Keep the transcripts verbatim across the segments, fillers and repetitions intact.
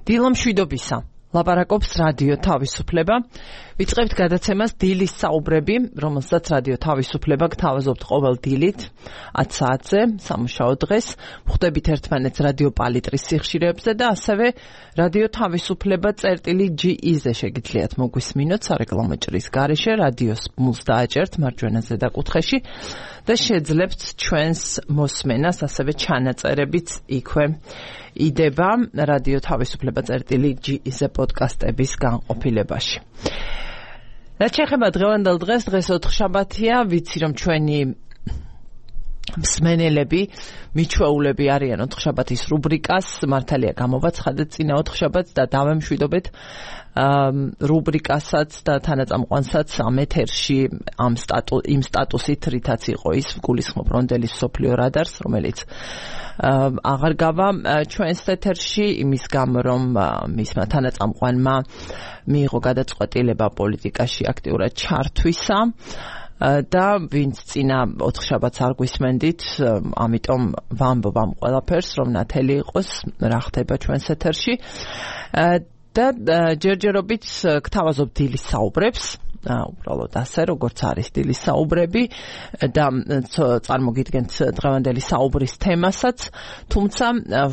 დილა მშვიდობისა. ლაპარაკობს რადიო თავისუფლება. ვიწყებთ გადაცემას დილის საუბრები, რომელსაც რადიო თავისუფლება გთავაზობთ ყოველ დილით ათ საათზე, სამუშაო დღეს. ვხვდებით ერთმანეთს რადიო პალიტრის სიხშირეებზე და ასევე რადიო თავისუფლება წერტილი ჯი ი-ზე შეგიძლიათ მოგვისმინოთ სარეკლამო ჭრის გარეშე, რადიოს ბმულს დააჭერთ მარჯვენა ზედა და შეძლებთ ჩვენს მოსმენას, ასევე ჩანაწერებიც იქვე იდება რადიო თავისუფლება წერტილი ჯი ი-ზე პოდკასტების განყოფილებაში. რაც შეეხება დღევანდელ დღეს, დღეს ოთხშაბათია, ვიცი რომ ჩვენი მსმენელები, მიჩვეულები არიან ოთხშაბათის რუბრიკას, მართალია გამოვაცხადეთ წინა ოთხშაბათს და დავემშვიდობეთ რუბრიკასაც და თანაწამყვანსაც ამ ეთერში ამ სტატუ იმ სტატუსით, რითაც იყო ის გულისხმობ რონდელის მსოფლიო რადარს, რომელიც აღარ გავა ჩვენს ეთერში იმის გამო, რომ მისმა თანაწამყვანმა მიიღო გადაწყვეტილება პოლიტიკაში აქტიურად ჩართვისა და ვინც წინა ოთხშაბათს არ გვისმენდით, ამიტომ ვამბობ ამ ყველაფერს, რომ ნათელი იყოს რა ხდება ჩვენს ეთერში და ჯერჯერობით გთავაზობ დილის საუბრებს, უბრალოდ ასე, როგორც არის დილის საუბრები და წარმოგიდგენთ დღევანდელი საუბრის თემასაც, თუმცა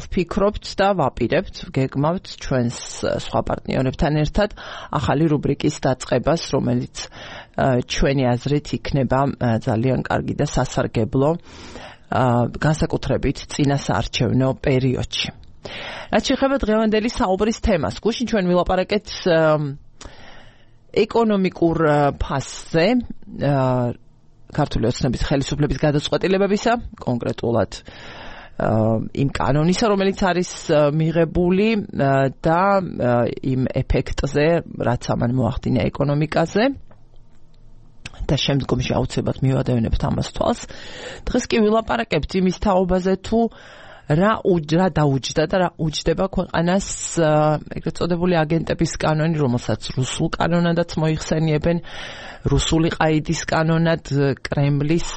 ვფიქრობთ და ვაპირებთ, გეგმავთ ჩვენს სხვა პარტნიორებთან ერთად ახალი რუბრიკის დაწყებას, რომელიც ჩვენი აზრით იქნება ძალიან კარგი და სასარგებლო განსაკუთრებით წინა საარჩევნო პერიოდში. რაც შეეხება დღევანდელი საუბრის თემას, გუშინ ჩვენ ვილაპარაკეთ ეკონომიკურ ფასზე, ქართული ოცნების ხელისუფლების გადაწყვეტილებებისა, კონკრეტულად იმ კანონისა, რომელიც არის მიღებული და იმ ეფექტზე, რაც ამან მოახდინა ეკონომიკაზე და შემდგომში აუცილებლად მივადევნებთ ამას თვალს. დღეს კი ვილაპარაკებთ იმის თაობაზე, თუ რა რა დაუჯდა და რა უჯდება ქვეყანას ეგრეთ წოდებული აგენტების კანონი, რომელსაც რუსულ კანონადაც მოიხსენიებენ, რუსული ყაიდის კანონად, კრემლის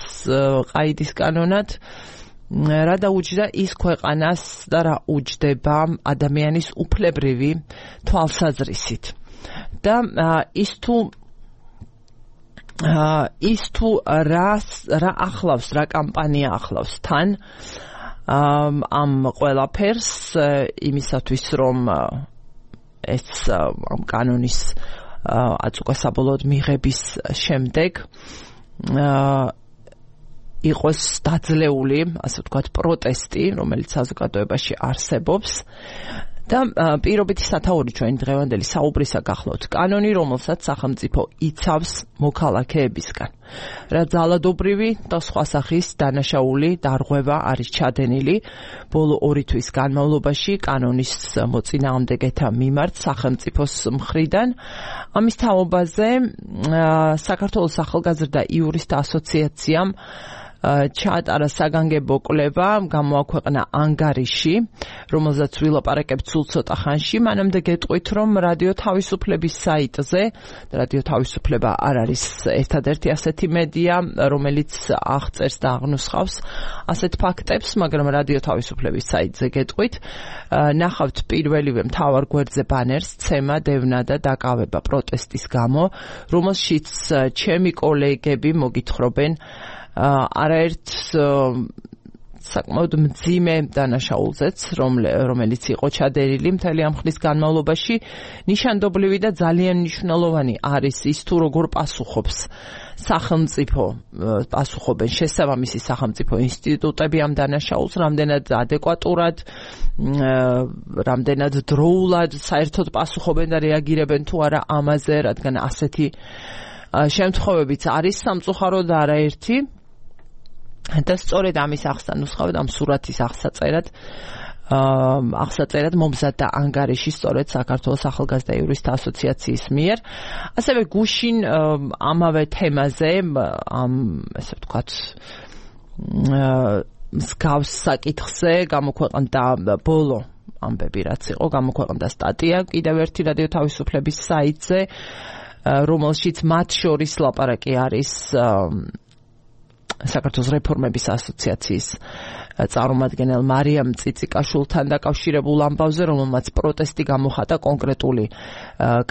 ყაიდის კანონად. რა დაუჯდა ის ქვეყანას და რა უჯდება ადამიანის უფლებრივი თვალსაზრისით. და ის თუ ის თუ რა რა ახლავს, რა კამპანია ახლავს თან ამ ყველაფერს იმისათვის, რომ ეს ამ კანონის აწუხესაბოლოოდ მიღების შემდეგ იყოს დაძლეული, ასე ვთქვათ, პროტესტი, რომელიც საზოგადოებაში არსებობს. და პირობითი სათაური ჩვენი დღევანდელი საუბრისა გახლავთ კანონი, რომელსაც სახელმწიფო იცავს მოქალაქეებისგან. რა ძალადობრივი და სხვა სახის დანაშაული დარღვევა არის ჩადენილი ბოლო ორი თვის განმავლობაში კანონის მოწინააღმდეგეთა მიმართ სახელმწიფოს მხრიდან. ამის თაობაზე საქართველოს ახალგაზრდა იურისტთა ასოციაციამ ჩაატარა საგანგებო კვლევა, გამოაქვეყნა ანგარიში, რომელზეც ვილაპარაკებთ სულ ცოტა ხანში. მანამდე გეტყვით, რომ რადიო თავისუფლების საიტზე, რადიო თავისუფლება არ არის ერთადერთი ასეთი მედია, რომელიც აღწერს და აღნუსხავს ასეთ ფაქტებს, მაგრამ რადიო თავისუფლების საიტზე გეტყვით, ნახავთ პირველივე მთავარ გვერდზე ბანერს ცემა, დევნა და დაკავება პროტესტის გამო, რომელშიც ჩემი კოლეგები მოგითხრობენ არაერთ საკმაოდ მძიმე დანაშაულზეც, რომელიც იყო ჩადენილი მთელი ამ ხნის განმავლობაში. ნიშანდობლივი და ძალიან მნიშვნელოვანი არის ის, თუ როგორ პასუხობს სახელმწიფო, პასუხობენ შესაბამისი სახელმწიფო ინსტიტუტები ამ დანაშაულს, რამდენად ადეკვატურად, რამდენად დროულად საერთოდ პასუხობენ და რეაგირებენ თუ არა ამაზე, რადგან ასეთი შემთხვევებიც არის სამწუხაროდ არაერთი. და სწორედ ამის აღსანუსხავად, ამ სურათის აღსაწერად აღსაწერად მომზადდა ანგარიში სწორედ საქართველოს ახალგაზრდა იურისტთა ასოციაციის მიერ. ასევე გუშინ ამავე თემაზე, ამ ესე ვთქვათ მსგავს საკითხზე გამოქვეყნდა ბოლო ამბები, რაც იყო, გამოქვეყნდა სტატია კიდევ ერთი რადიო თავისუფლების საიტზე, რომელშიც მათ შორის ლაპარაკი არის საქართველოს რეფორმების ასოციაციის წარმომადგენელ მარიამ წიწიკაშვილთან დაკავშირებულ ამბავზე, რომელმაც პროტესტი გამოხატა კონკრეტული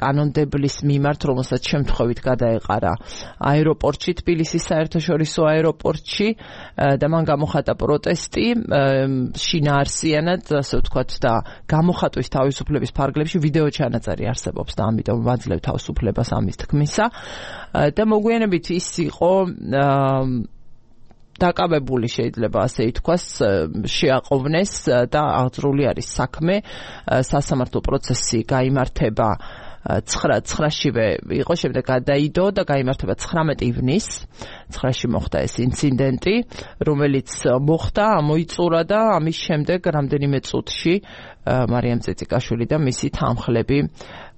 კანონმდებლის მიმართ, რომელსაც შემთხვევით გადაეყარა აეროპორტში, თბილისის საერთაშორისო აეროპორტში და მან გამოხატა პროტესტი შინაარსიანად, ასე ვთქვათ, და გამოხატვის თავისუფლების ფარგლებში ვიდეო ჩანაწერი არსებობს და ამიტომ ვაძლევ თავისუფლებას ამის თქმისა და მოგვიანებით ის იყო დაკავებული, შეიძლება ასე ითქვას, შეაყოვნეს და აღძრული არის საქმე. სასამართლო პროცესი გაიმართება ცხრაშივე იყო, შემდეგ გადაიდო და გაიმართება ცხრამეტი ივნისს. ცხრაში მოხდა ეს ინციდენტი, რომელიც მოხდა, ამოიწურა და ამის შემდეგ რამდენიმე წუთში მარიამ წიწიკაშვილი და მისი თანმხლები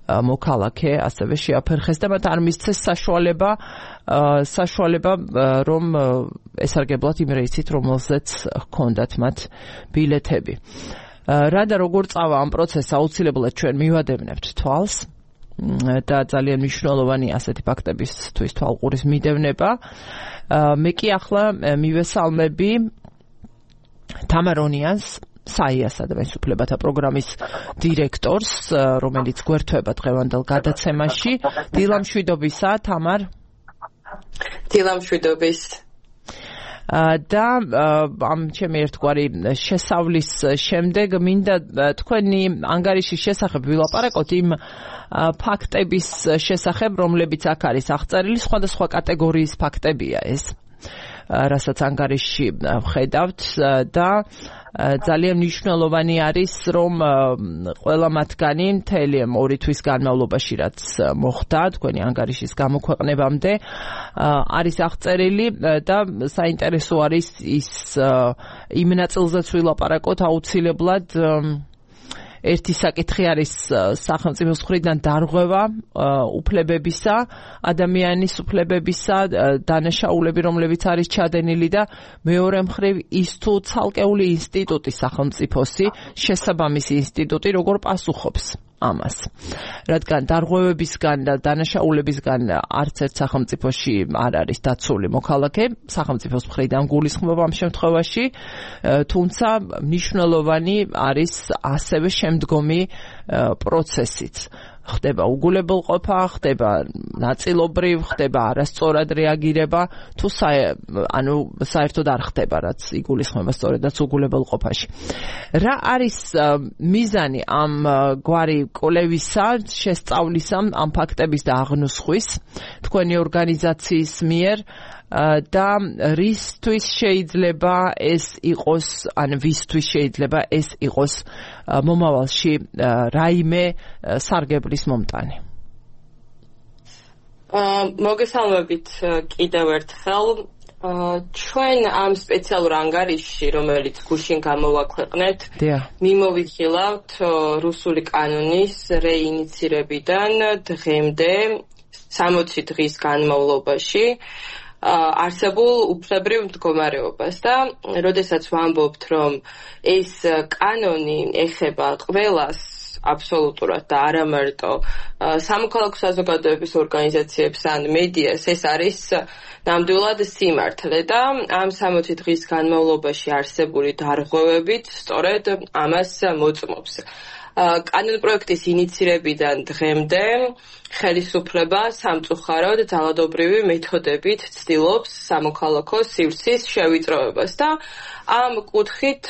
მოქალაქე ასევე შეაფერხეს და მათ არ მისცეს საშუალება საშუალება რომ ესარგებლათ იმ რეისით, რომელზეც ჰქონდათ მათ ბილეთები. რა და როგორ წავა ამ პროცესს, აუცილებლად ჩვენ მივადევნებთ თვალს და ძალიან მნიშვნელოვანი ასეთი ფაქტებისთვის თვალყურის მიდევნება. მე კი ახლა მივესალმები თამარონიანს, საიასა და მესუფლებათა პროგრამის დირექტორს, რომელიც გვერდება დღევანდელ გადაცემაში. დილამშვიდობისა, თამარ. დილამშვიდობის. და ამ ჩემი ერთგვარი შესავლის შემდეგ მინდა თქვენი ანგარიშის შესახებ ვილაპარაკოთ, იმ ფაქტების შესახებ, რომლებიც აქ არის აღწერილი, სხვადასხვა კატეგორიის ფაქტებია ეს, რასაც ანგარიშში ვხედავთ და ძალიან მნიშვნელოვანი არის, რომ ყველა მათგანი მთელი ორი თვის განმავლობაში, რაც მოხდა თქვენი ანგარიშის გამოქვეყნებამდე, არის აღწერილი და საინტერესო არის ის იმ ნაწილზეც ვილაპარაკოთ აუცილებლად. ერთი საკითხი არის სახელმწიფოს მხრიდან დარღვევა უფლებებისა, ადამიანის უფლებებისა, დანაშაულები, რომლებიც არის ჩადენილი და მეორე მხრივ ის თუ ცალკეული ინსტიტუტი სახელმწიფოსი, შესაბამისი ინსტიტუტი როგორ პასუხობს ამას. რადგან დარღვევებისგან და დანაშაულებისგან არც ერთ სახელმწიფოში არ არის დაცული მოქალაქე, სახელმწიფოს მხრიდან გულისხმობა ამ შემთხვევაში, თუმცა მნიშვნელოვანი არის ასევე შემდგომი პროცესიც. ხდება უგულებელყოფა, ხდება ნაწილობრივ, ხდება არასწორად რეაგირება, თუ ანუ საერთოდ არ ხდება, რაც იგულისხმება სწორედაც უგულებელყოფაში. რა არის მიზანი ამ გვარი კვლევისა, შესწავლისა, ამ ფაქტების და აღნუსხვის თქვენი ორგანიზაციის მიერ და რისთვის შეიძლება ეს იყოს, ან ვისთვის შეიძლება ეს იყოს მომავალში რაიმე სარგებლის მომტანი? მოგესალმებით კიდევ ერთხელ. ჩვენ ამ სპეციალურ ანგარიშში, რომელიც გუშინ გამოვაქვეყნეთ, მიმოვიხილავთ რუსული კანონის რეინიცირებიდან დღემდე სამოცი დღის განმავლობაში არსებულ უფლებრივ მდგომარეობას და როდესაც ვამბობთ, რომ ეს კანონი ეხება ყველას აბსოლუტურად და არა მარტო სამოქალაქო საზოგადოების ორგანიზაციებს ან მედიას, ეს არის ნამდვილად სიმართლე და ამ სამოცი დღის განმავლობაში არსებული დარღვევებით სწორედ ამას მოწმობს. კანონპროექტის ინიცირებიდან დღემდე ხელისუფლება სამწუხაროდ ძალადობრივი მეთოდებით ცდილობს სამოქალაქო სივრცის შევიწროებას და ამ კუთხით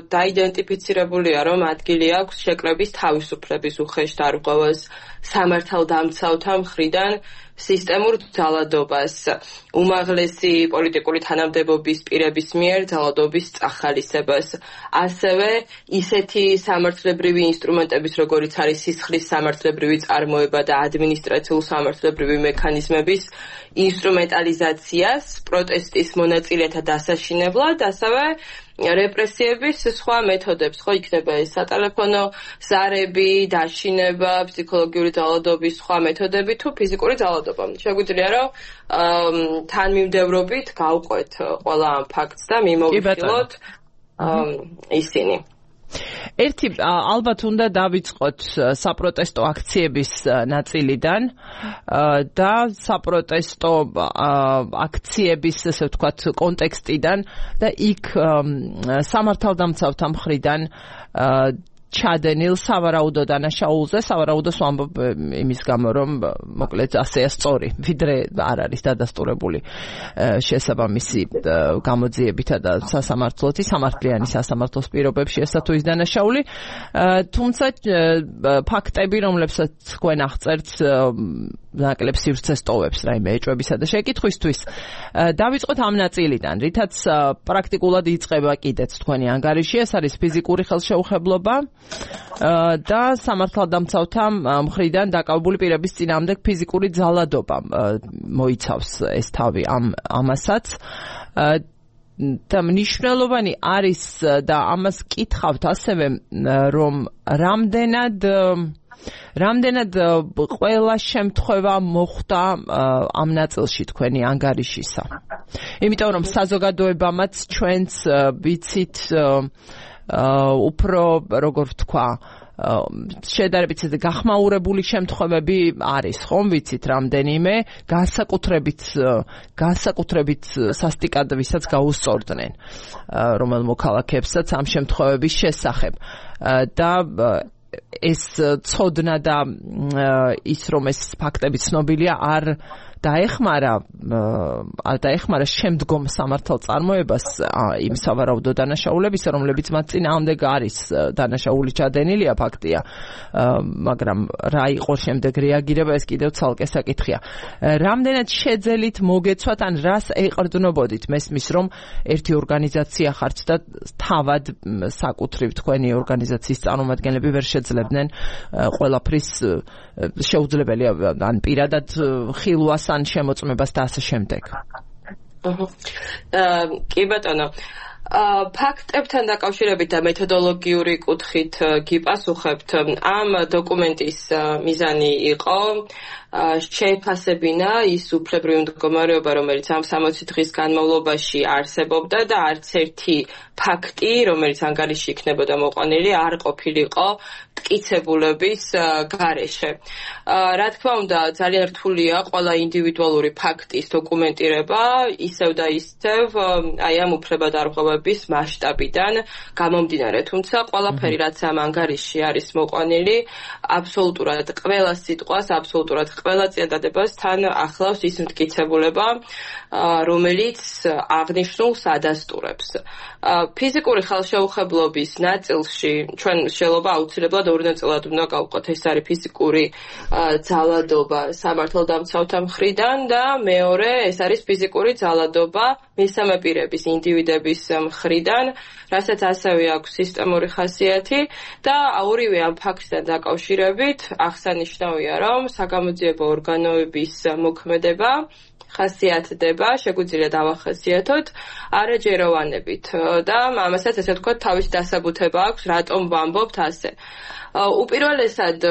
დაიდენტიფიცირებულია, რომ ადგილი აქვს შეკრების თავისუფლების უხეშ დარღვევას, სამართალდამცავთა მხრიდან სისტემურ ძალადობას, უმაღლესი პოლიტიკური თანამდებობის პირების მიერ ძალადობის წახალისებას, ასევე ისეთი სამართლებრივი ინსტრუმენტების, როგორიც არის სისხლის სამართლებრივი წარმოება და ადმინისტრაციულ-სამართლებრივი მექანიზმების ინსტრუმენტალიზაციას პროტესტის მონაწილეთა დასაშინებლად, ასევე რეპრესიების სხვა მეთოდებს, ხო, იქნება ეს სატელეფონო ზარები, დაშინება, ფსიქოლოგიური ძალადობის სხვა მეთოდები თუ ფიზიკური ძალადობა. შეგვიძლია რომ თანმიმდევრობით გავყვეთ ყველა ამ ფაქტს და მიმოვიხილოთ ისინი. ერთი ალბათ უნდა დავიწყოთ საპროტესტო აქციების ნაწილიდან და საპროტესტო აქციების, ესე ვთქვათ, კონტექსტიდან და იქ სამართალდამცავთა მხრიდან ჩადენილ სავარაუდო დანაშაულზე, სავარაუდოს ვამბობ იმის გამო, რომ მოკლედ ასეა სწორი, ვიდრე არ არის დადასტურებული შესაბამისი გამოძიებითა და სასამართლოთი, სამართლიანი სასამართლოს პირობებში ესა თუ ის დანაშაული, თუმცა ფაქტები, რომლებსაც თქვენ აღწერთ, ნაკლებ სივრცეს ტოვებს რაიმე ეჭვებისა და შეკითხვისთვის. დავიწყოთ ამ ნაწილიდან, რითაც პრაქტიკულად იწყება კიდეც თქვენი ანგარიში, ეს არის ფიზიკური ხელშეუხებლობა და სამართალდამცავთა მხრიდან დაკავებული პირების წინააღმდეგ ფიზიკური ძალადობა მოიცავს ეს თავი ამ ამასაც. და მნიშვნელოვანი არის და ამას კითხავთ ასევე, რომ რამდენად რამდენად ყველა შემთხვევა მოხდა ამ ნაწილში თქვენი ანგარიშისა. იმიტომ რომ საზოგადოებამაც ჩვენც ვიცით უფრო, როგორ ვთქვა, შედარებით გახმაურებული შემთხვევები არის, ხომ ვიცით რამდენიმე, განსაკუთრებით განსაკუთრებით სასტიკად ვისაც გაუსწორდნენ რომელ მოქალაქეებსაც ამ შემთხვევების შესახებ. და ეს ცოდნა და ის რომ ეს ფაქტები ცნობილია არ დაეხმარა დაეხმარა შემდგომ სამართალ წარმოებას იმ სავარაუდო დანაშაულებისა, რომლებიც მათ წინააღმდეგ არის დანაშაული ჩადენილია, ფაქტია, მაგრამ რა იყო შემდეგ რეაგირება, ეს კიდევ ცალკე საკითხია. რამდენად შეძელით მოგეცვათ, ან რას ეყრდნობოდით? მესმის, რომ ერთი ორგანიზაცია ხართ და თავად საკუთრივ თქვენი ორგანიზაციის წარმომადგენლები ვერ შეძლებდნენ ყველაფრის შეუძლებელია ან პირადად ხილვას ან შემოწმებას და ასე შემდეგ. კი ბატონო, ფაქტებთან დაკავშირებით და მეთოდოლოგიური კუთხით გიპასუხებთ. ამ დოკუმენტის მიზანი იყო შეეფასებინა ის უფლებრივი მდგომარეობა, რომელიც ამ სამოცი დღის განმავლობაში არსებობდა და არც ერთი ფაქტი, რომელიც ანგარიში იქნებოდა მოყვანილი, არ ყოფილიყო მტკიცებულების გარეშე. რა თქმა უნდა, ძალიან რთულია ყველა ინდივიდუალური ფაქტის დოკუმენტირება, ისევ და ისევ აი ამ უფლებადარღვევების მასშტაბიდან გამომდინარე. თუმცა ყველაფერი, რაც ამ ანგარიში არის მოყვანილი, აბსოლუტურად ყველა სიტყვას, აბსოლუტურად ყველა წინადადებას თან ახლავს ის მტკიცებულება, რომელიც აღნიშნულს ადასტურებს. ფიზიკური ხელშეუხებლობის ნაწილში ჩვენ შეიძლება აუცილებლად ორი ნაწილად უნდა გავყოთ. ეს არის ფიზიკური ძალადობა სამართალდამცავთა მხრიდან და მეორე ეს არის ფიზიკური ძალადობა მესამე პირების, ინდივიდების მხრიდან, რასაც ასევე აქვს სისტემური ხასიათი და ორივე ამ ფაქტთან დაკავშირებით აღსანიშნავია, რომ საგამოძიებო ორგანოების მოქმედება ხასიათდება, შეგვიძლია დავახასიათოთ არაჯეროვანებით და ამასაც ესე ვთქვათ თავის დასაბუთება აქვს, რატომ ვამბობთ ასე. უპირველესად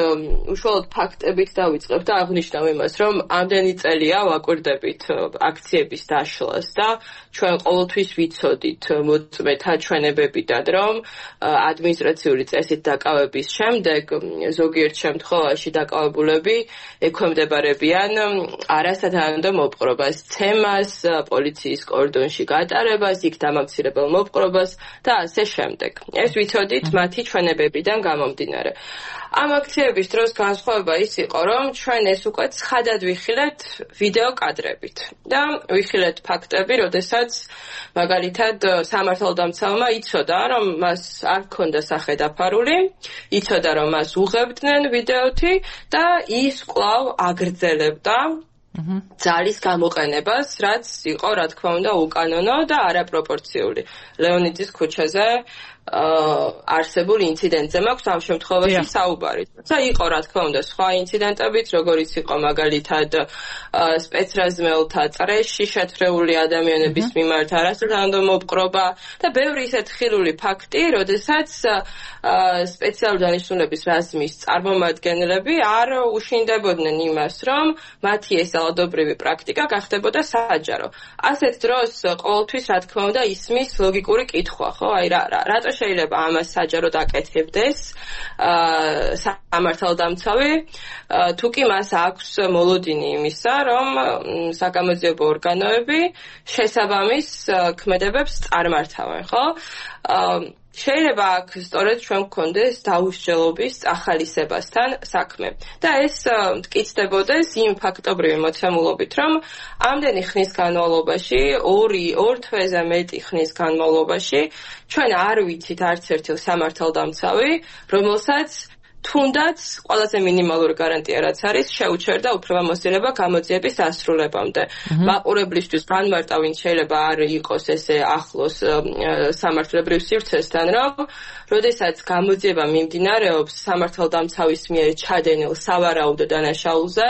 უშუალოდ ფაქტებით დავიწყებ და აღნიშნავ იმას, რომ ამდენი წელია ვაკვირდებით აქციების დაშლას და ჩვენ ყოველთვის ვიცოდით მოწმეთა ჩვენებებიდან, რომ ადმინისტრაციული წესით დაკავების შემდეგ ზოგიერთ შემთხვევაში დაკავებულები ექვემდებარებიან არასათანადო მოპყრობას, ცემას, პოლიციის კორდონში გატარებას, იქ დამამცირებელ მოპყრობას და ასე შემდეგ. ეს ვიცოდით მათი ჩვენებებიდან გამომდინარე. ამ აქციების დროს განსხვავება ის იყო, რომ ჩვენ ეს უკვე ცხადად ვიხილეთ ვიდეო კადრებით და ვიხილეთ ფაქტები, როდესაც მაგალითად სამართალდამცავმა იცოდა, რომ მას არ ჰქონდა სახე დაფარული, იცოდა, რომ მას უღებდნენ ვიდეოთი და ის კვლავ აგრძელებდა ძალის გამოყენებას, რაც იყო, რა თქმა უნდა, უკანონო და არაპროპორციული. ლეონიძის ქუჩაზე არსებულ ინციდენტზე მაქვს ამ შემთხვევაში საუბარი. თუმცა იყო, რა თქმა უნდა, სხვა ინციდენტებიც, როგორიც იყო მაგალითად სპეცრაზმელთა წრეში შეთრეული ადამიანების მიმართ არასათანადო მოპყრობა და ბევრი ისეთ ხილული ფაქტი, როდესაც სპეციალური დანიშნულების რაზმის წარმომადგენლები არ უშინდებოდნენ იმას, რომ მათი ეს ძალადობრივი პრაქტიკა გახდებოდა საჯარო. ასეთ დროს ყოველთვის, რა თქმა უნდა, ისმის ლოგიკური კითხვა, ხო? აი რა რატო შეიძლება ამას საჯაროდ აკეთებდეს სამართალდამცავი, თუ კი მას აქვს მოლოდინი იმისა, რომ საგამოძიებო ორგანოები შესაბამის ქმედებებს წარმართავენ, ხო? შეიძლება აქ სწორედ ჩვენ გქონდეს დაუსჯელობის ახალისებასთან საქმე. და ეს მტკიცდებოდეს იმ ფაქტობრივი მოცემულობით, რომ ამდენი ხნის განმავლობაში, ორი, ორ თვეზე მეტი ხნის განმავლობაში, ჩვენ არ ვიცით არც ერთი სამართალდამცავი, რომელსაც თუნდაც ყველაზე მინიმალური გარანტია რაც არის, შეუჩერდა უფლებამოსილება გამოძიების დასრულებამდე. მაყურებლისთვის განმარტა, ვინც შეიძლება არ იყოს ესე ახლოს სამართლებრივ სივრცესთან, რომ როდესაც გამოძიება მიმდინარეობს სამართალდამცავის მიერ ჩადენილ სავარაუდო დანაშაულზე,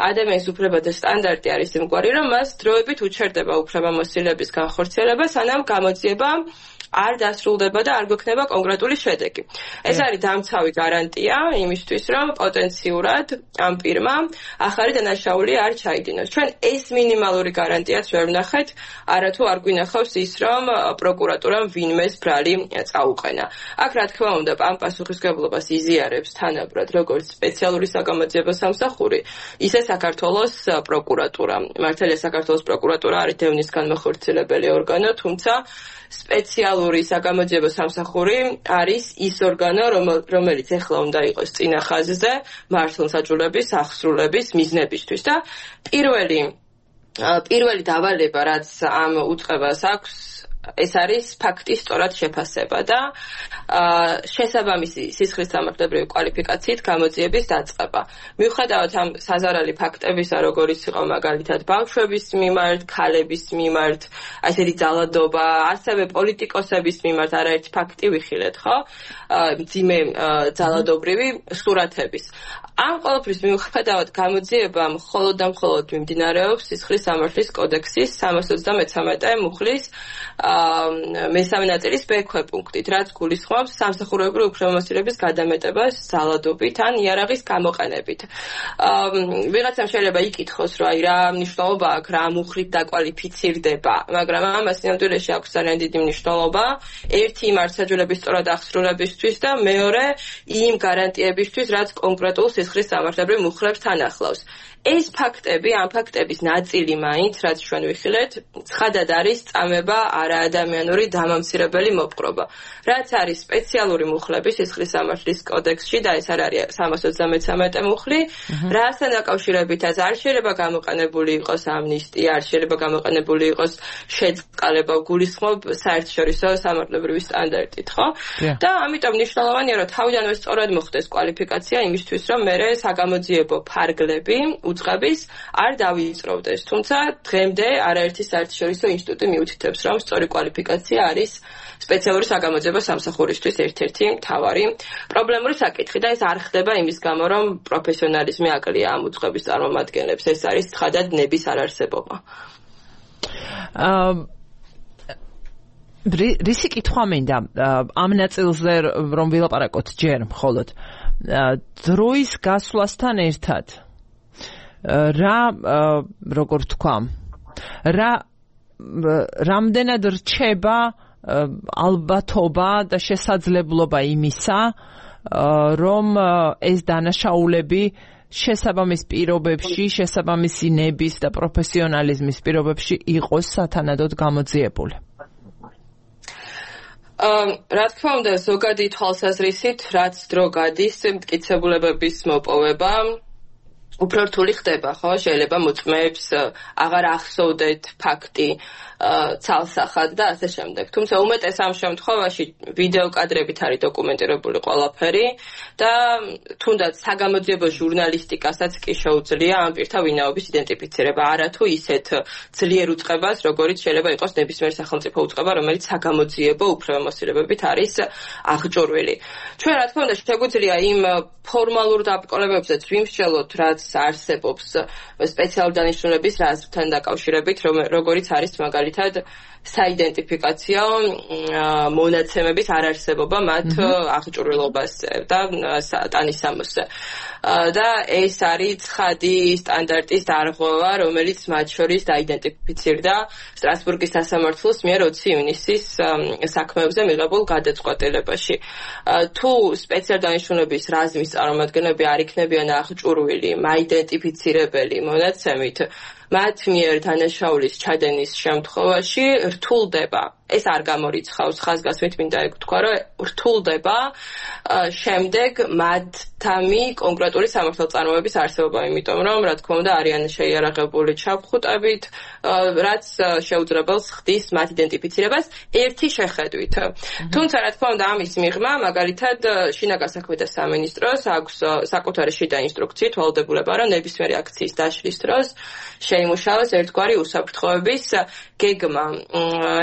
ადამიანის უფლებათა სტანდარტი არის იმგვარი, რომ მას დროებით უჩერდება უფლებამოსილების განხორციელება, სანამ გამოძიება არ დასრულდება და არ გვექნება კონკრეტული შედეგი. ეს არის დამცავი გარანტია იმისთვის, რომ პოტენციურად ამ პირმა ახალი დანაშაული არ ჩაიდინოს. ჩვენ ეს მინიმალური გარანტიაც ვერ ვნახეთ, არათუ არ გვინახავს ის, რომ პროკურატურამ ვინმეს ბრალი წაუყენა. აქ რა თქმა უნდა, ამ პასუხისმგებლობას იზიარებს თანაბრად როგორც სპეციალური საგამოძიებო სამსახური, ისე საქართველოს პროკურატურა. მართალია საქართველოს პროკურატურა არის დევნის განმახორციელებელი ორგანო, თუმცა სპეციალური საგამოძიებო სამსახური არის ის ორგანო, რომელიც ეხლა უნდა იყოს წინა ხაზზე მართლმსაჯულების აღსრულების მიზნებისთვის და პირველი პირველი დავალება, რაც ამ უწყებას აქვს, ეს არის ფაქტის სწორად შეფასება და შესაბამისი სისხლის სამართლებრივი კვალიფიკაციით გამოძიების დაწყება. მიუხედავად ამ საზარალი ფაქტებისა, როგორიც იყო მაგალითად ბავშვების მიმართ, ქალების მიმართ, ასეთი ძალადობა, ასევე პოლიტიკოსების მიმართ არაერთი ფაქტი ვიხილეთ, ხო? მძიმე ძალადობრივი სურათების. ამ ყოველფრის მიუხედავად გამოძიება მხოლოდ და მხოლოდ მიმდინარეობს სისხლის სამართლის კოდექსის სამას ოცდამეცამეტე მუხლის მესამე ნაწილის ბ-ქვე პუნქტით, რაც გულისხმობს სამსახურებრივი უფლებამოსილების გადამეტებას ძალადობით ან იარაღის გამოყენებით. ვიღაცამ შეიძლება იკითხოს, რომ აი რა მნიშვნელობა აქვს, რა მუხლით დაკვალიფიცირდება, მაგრამ ამას ნამდვილად აქვს ძალიან დიდი მნიშვნელობა. ერთი მართლმსაჯულების სწორად აღსრულებისთვის და მეორე იმ გარანტიებისთვის, რაც კონკრეტულ სისხლის სამართლებრივ მუხლებს თან ახლავს. ეს ფაქტები, ამ ფაქტების ნაწილი მაინც, რაც ჩვენ ვიხილეთ, ცხადად არის წამება არაადამიანური დამამცირებელი მოპყრობა. რაც არის სპეციალური მუხლები სისხლის სამართლის კოდექსში და ეს არ არის სამას ოცდამეცამეტე მუხლი, რასთან დაკავშირებითაც არ შეიძლება გამოყენებული იყოს ამნისტია, არ შეიძლება გამოყენებული იყოს შეწყალება, გულისხმობ საერთაშორისო სამართლებრივი სტანდარტით, ხო? და ამიტომ მნიშვნელოვანია, რომ თავიდანვე სწორად მოხდეს კვალიფიკაცია იმისთვის, რომ მერე საგამოძიებო ფარგლები უწყების არ დავიწყროვდეს. თუმცა დღემდე არაერთი საერთაშორისო ინსტიტუტი მიუთითებს, რომ სწორი კვალიფიკაცია არის სპეციალური საგამოძიებო სამსახურისთვის ერთ-ერთი მთავარი პრობლემური საკითხი და ეს არ ხდება იმის გამო, რომ პროფესიონალიზმი აკლია ამ უწყების წარმომადგენლებს. ეს არის ცხადად ნების არარსებობა. რისი კითხვა მინდა ამ ნაწილზე რომ ვილაპარაკოთ ჯერ მხოლოდ დროის გასვლასთან ერთად რა როგორ თქვა რა რამდენად რჩება ალბათობა და შესაძლებლობა იმისა რომ ეს დანაშაულები შესაბამის პირობებში შესაბამისი ნების და პროფესიონალიზმის პირობებში იყოს სათანადოდ გამოძიებული. რა თქმა უნდა, ზოგადი თვალსაზრისით, რაც დრო გადის მტკიცებულებების მოპოვება უფრო რთული ხდება, ხო? შეიძლება მოწმეებს აღარ ახსოვდეთ ფაქტი ცალსახად და ასე შემდეგ. თუმცა უმეტეს ამ შემთხვევაში ვიდეო კადრებით არის დოკუმენტირებული ყველაფერი და თუნდაც საგამოძიებო ჟურნალისტიკასაც კი შეუძლია ამ პირთა ვინაობის იდენტიფიცირება, არათუ ისეთ ძლიერ უწყებას, როგორიც შეიძლება იყოს ნებისმიერ სახელმწიფო უწყება, რომელიც საგამოძიებო უფლებამოსილებებით არის აღჭურვილი. ჩვენ რა თქმა უნდა შეგვიძლია იმ ფორმალურ დაბრკოლებებსაც ვიმსჯელოთ, რაც რაც არსებობს სპეციალური დანიშნულების რაზმთან დაკავშირებით, როგორიც არის მაგალითად საიდენტიფიკაციო მონაცემების არარსებობა მათ აღჭურვილობაზე და ტანისამოსზე. და ეს არის ცხადი სტანდარტის დარღვევა, რომელიც მათ შორის დაიდენტიფიცირდა სტრასბურგის სასამართლოს მიერ ოცი ივნისის საქმეებზე მიღებულ გადაწყვეტილებაში. თუ სპეციალური დანიშნულების რაზმის წარმომადგენლები არ იქნებიან აღჭურვილი, მაიდენტიფიცირებელი მონაცემით, მათ მიერ დანაშაულის ჩადენის შემთხვევაში რთულდება, ეს არ გამორიცხავს ხაზგასმით, მინდა ეგ ვთქვა, რომ რთულდება შემდეგ მათთამი კონკრეტული სამართალწარმოების არსებობა, იმიტომ რომ, რა თქმა უნდა, არიან შეიარაღებული ჩაფხუტებით, რაც შეუძლებელს ხდის მათ იდენტიფიცირებას ერთი შეხედვით. თუმცა, რა თქმა უნდა, ამის მიღმა, მაგალითად, შინაგან საქმეთა სამინისტროს აქვს საკუთარი შიდა ინსტრუქციით ვალდებულება, რომ ნებისმიერი აქციის დაშლის დროს შეიმუშავოს ერთგვარი უსაფრთხოების გეგმა.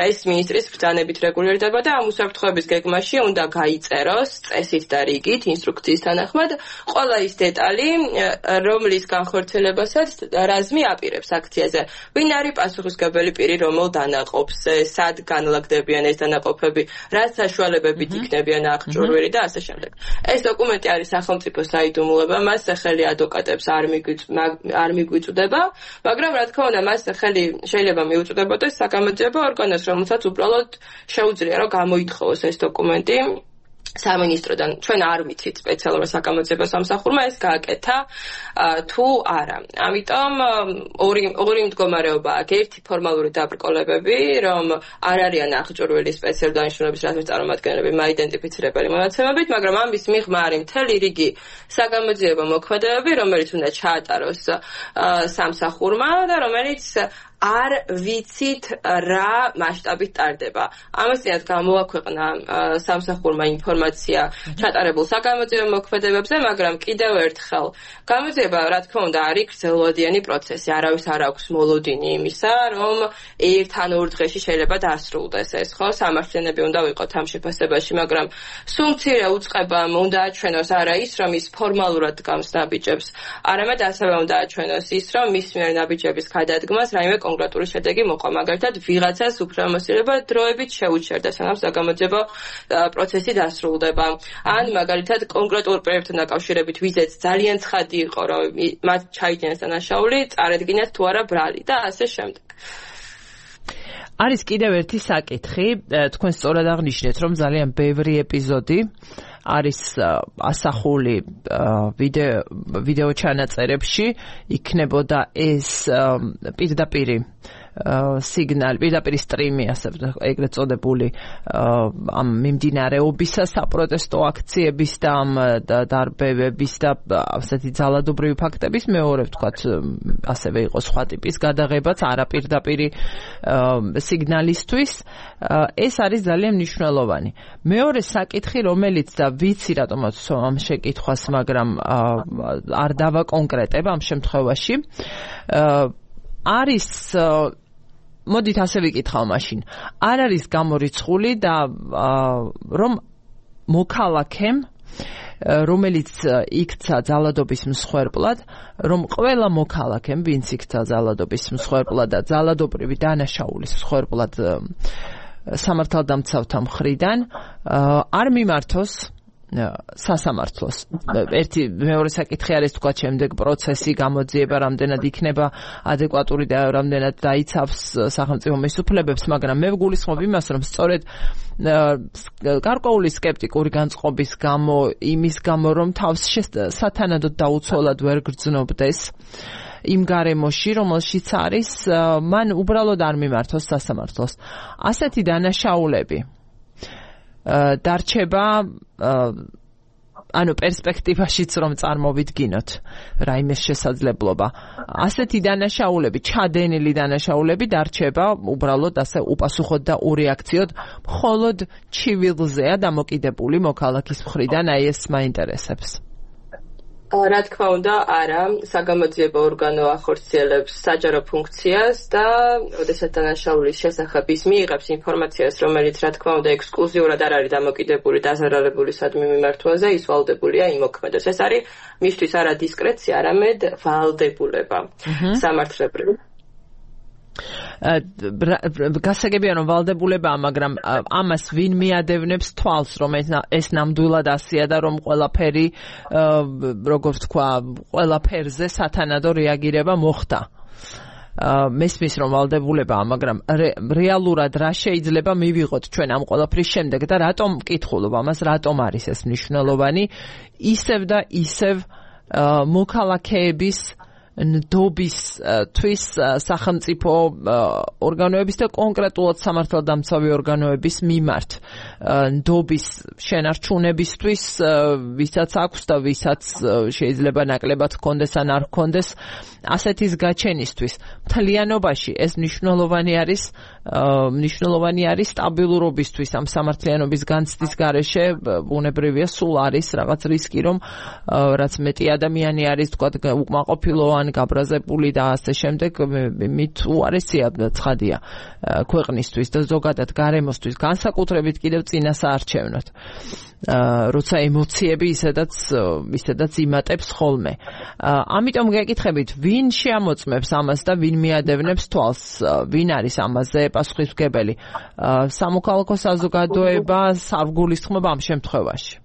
ეს მინისტრის ბრძანებით რეგულირდება და ამ უსაფრთხოების გეგმაში უნდა გაიწეროს წესით და რიგით ინსტრუქციის თანახმად ყველა ის დეტალი, რომლის განხორციელებასაც რაზმი აპირებს აქციაზე. ვინ არის პასუხისმგებელი პირი, რომელ დანაყოფს, სად განლაგდებიან ეს დანაყოფები, რა საშუალებებით იქნებიან აღჭურვილი და ასე შემდეგ. ეს დოკუმენტი არის სახელმწიფო საიდუმლოება, მას სახელი ადვოკატებს არ მიგვიწვდება, მაგრამ რა თქმა უნდა, მას ხელი შეიძლება მიუწვდებოდეს საგამოძიებო ორგანოს, რომელსაც უბრალოდ შეუძლია, რომ გამოითხოვოს ეს დოკუმენტი სამინისტროდან. ჩვენ არ ვიცით სპეციალურ საგამოძიებო სამსახურმა ეს გააკეთა თუ არა. ამიტომ ორი ორი მდგომარეობა აქვს. ერთი ფორმალური დაბრკოლებები, რომ არ არიან აღჭურვილი სპეციალური დანიშნულების რაზმის წარმომადგენლები მაიდენტიფიცირებელი მონაცემებით, მაგრამ ამის მიღმა არის მთელი რიგი საგამოძიებო მოქმედებები, რომელიც უნდა ჩაატაროს სამსახურმა და რომელიც არ ვიცით რა მასშტაბით ტარდება. ამასთანავე გამოაქვეყნა სამსახურმა ინფორმაცია ჩატარებულ საგამოძიებო მოქმედებებზე, მაგრამ კიდევ ერთხელ გამოძიება, რა თქმა უნდა, არის გრძელვადიანი პროცესი. არავის არ აქვს მოლოდინი იმისა, რომ ერთ ან ორ დღეში შეიძლება დასრულდეს ეს, ხო? სამართლიანები უნდა ვიყოთ ამ შეფასებაში, მაგრამ სულ მცირე უწყებამ უნდა აჩვენოს არა ის, რომ ის ფორმალურად დგამს ნაბიჯებს, არამედ ასევე უნდა აჩვენოს ის, რომ მის მიერ ნაბიჯების გადადგმას რაიმე კონკრეტული შედეგი მოყვა, მაგალითად ვიღაცას უფლებამოსილება დროებით შეუჩერდა, სანამ საგამოძიებო პროცესი დასრულდება. ან მაგალითად კონკრეტულ პროექტთან დაკავშირებით ვიზეც ძალიან ცხადი იყო, რომ მათ ჩაიდინეს დანაშაული, წარედგინათ თუ არა ბრალი და ასე შემდეგ. არის კიდევ ერთი საკითხი, თქვენ სწორად აღნიშნეთ, რომ ძალიან ბევრი ეპიზოდი არის ასახული ვიდეო ვიდეო ჩანაწერებში, იქნებოდა ეს პირდაპირი სიგნალი, პირდაპირი სტრიმი, ასე ეგრეთ წოდებული ამ მიმდინარეობისა, საპროტესტო აქციების და ამ დარბევების და ასეთი ძალადობრივი ფაქტების, მეორე ვთქვათ, ასევე იყო სხვა ტიპის გადაღებაც, არაპირდაპირი სიგნალისთვის. ეს არის ძალიან მნიშვნელოვანი. მეორე საკითხი, რომელიც და ვიცი რატომაც ამ შეკითხვას, მაგრამ არ დავაკონკრეტებ ამ შემთხვევაში, არის მოდით ასე ვიკითხავ მაშინ. არ არის გამორიცხული და რომ მოქალაქემ, რომელიც იქცა ძალადობის მსხვერპლად, რომ ყველა მოქალაქემ, ვინც იქცა ძალადობის მსხვერპლად და ძალადობრივი დანაშაულის მსხვერპლად სამართალდამცავთა მხრიდან, არ მიმართოს სასამართლოს. ერთი მეორე საკითხი არის თქვა შემდეგ პროცესი, გამოძიება რამდენად იქნება ადეკვატური და რამდენად დაიცავს სახელმწიფო მისუფლებებს, მაგრამ მე ვგულისხმობ იმას, რომ სწორედ გარკვეული სკეპტიკური განწყობის გამო, იმის გამო, რომ თავს სათანადოდ დაუცველად ვერ გრძნობდეს იმ გარემოში, რომელშიც არის, მან უბრალოდ არ მიმართოს სასამართლოს. ასეთი დანაშაულები დარჩება ანუ პერსპექტივაშიც რომ წარმოვიდგინოთ რაიმეს შესაძლებლობა. ასეთი დანაშაულები, ჩადენილი დანაშაულები დარჩება უბრალოდ ასე უპასუხოდ და ურეაქციოდ, მხოლოდ ჩივილზეა დამოკიდებული მოქალაქის მხრიდან, აი ეს მაინტერესებს. რა თქმა უნდა, არა, საგამოძიებო ორგანო ახორციელებს საჯარო ფუნქციას და ოდესაც დანაშაულის შესახებ ის მიიღებს ინფორმაციას, რომელიც რა თქმა უნდა ექსკლუზიურად არ არის დამოკიდებული დაზარალებული სადმი მიმართვაზე, ის ვალდებულია იმოქმედოს. ეს არის მისთვის არა დისკრეცია, არამედ ვალდებულება. სამართლებრივ გასაგებია რომ ვალდებულებაა, მაგრამ ამას ვინ მიადევნებს თვალს, რომ ეს ნამდვილად ასია და რომ ყველაფერი, როგორც თქვა, ყველაფერზე სათანადო რეაგირება მოხდა. მესმის რომ ვალდებულებაა, მაგრამ რეალურად რა შეიძლება მივიღოთ ჩვენ ამ ყველაფრის შემდეგ და რატომ მკითხულობ ამას, რატომ არის ეს მნიშვნელოვანი, ისევ და ისევ მოქალაქეების ნდობისთვის სახელმწიფო ორგანოების და კონკრეტულად სამართალდამცავი ორგანოების მიმართ ნდობის შენარჩუნებისთვის, ვისაც აქვს და ვისაც შეიძლება ნაკლებად ჰქონდეს ან არ ჰქონდეს ასეთის გაჩენისთვის. მთლიანობაში ეს მნიშვნელოვანი არის, მნიშვნელოვანი არის სტაბილურობისთვის, ამ სამართლიანობის განცდის გარეშე ბუნებრივია სულ არის რაღაც რისკი, რომ რაც მეტი ადამიანი არის, თქვა, უკმაყოფილო ან გაბრაზებული და ასე შემდეგ, მით უარესია ცხადია ქვეყნისთვის და ზოგადად გარემოსთვის, განსაკუთრებით კიდევ წინასაარჩევნოდ. როცა ემოციები ისედაც ისედაც იმატებს ხოლმე. ამიტომ გეკითხებით, ვინ შეამოწმებს ამას და ვინ მიადევნებს თვალს, ვინ არის ამაზე პასუხისმგებელი? სამოქალაქო საზოგადოება, სარგულისხმობა ამ შემთხვევაში.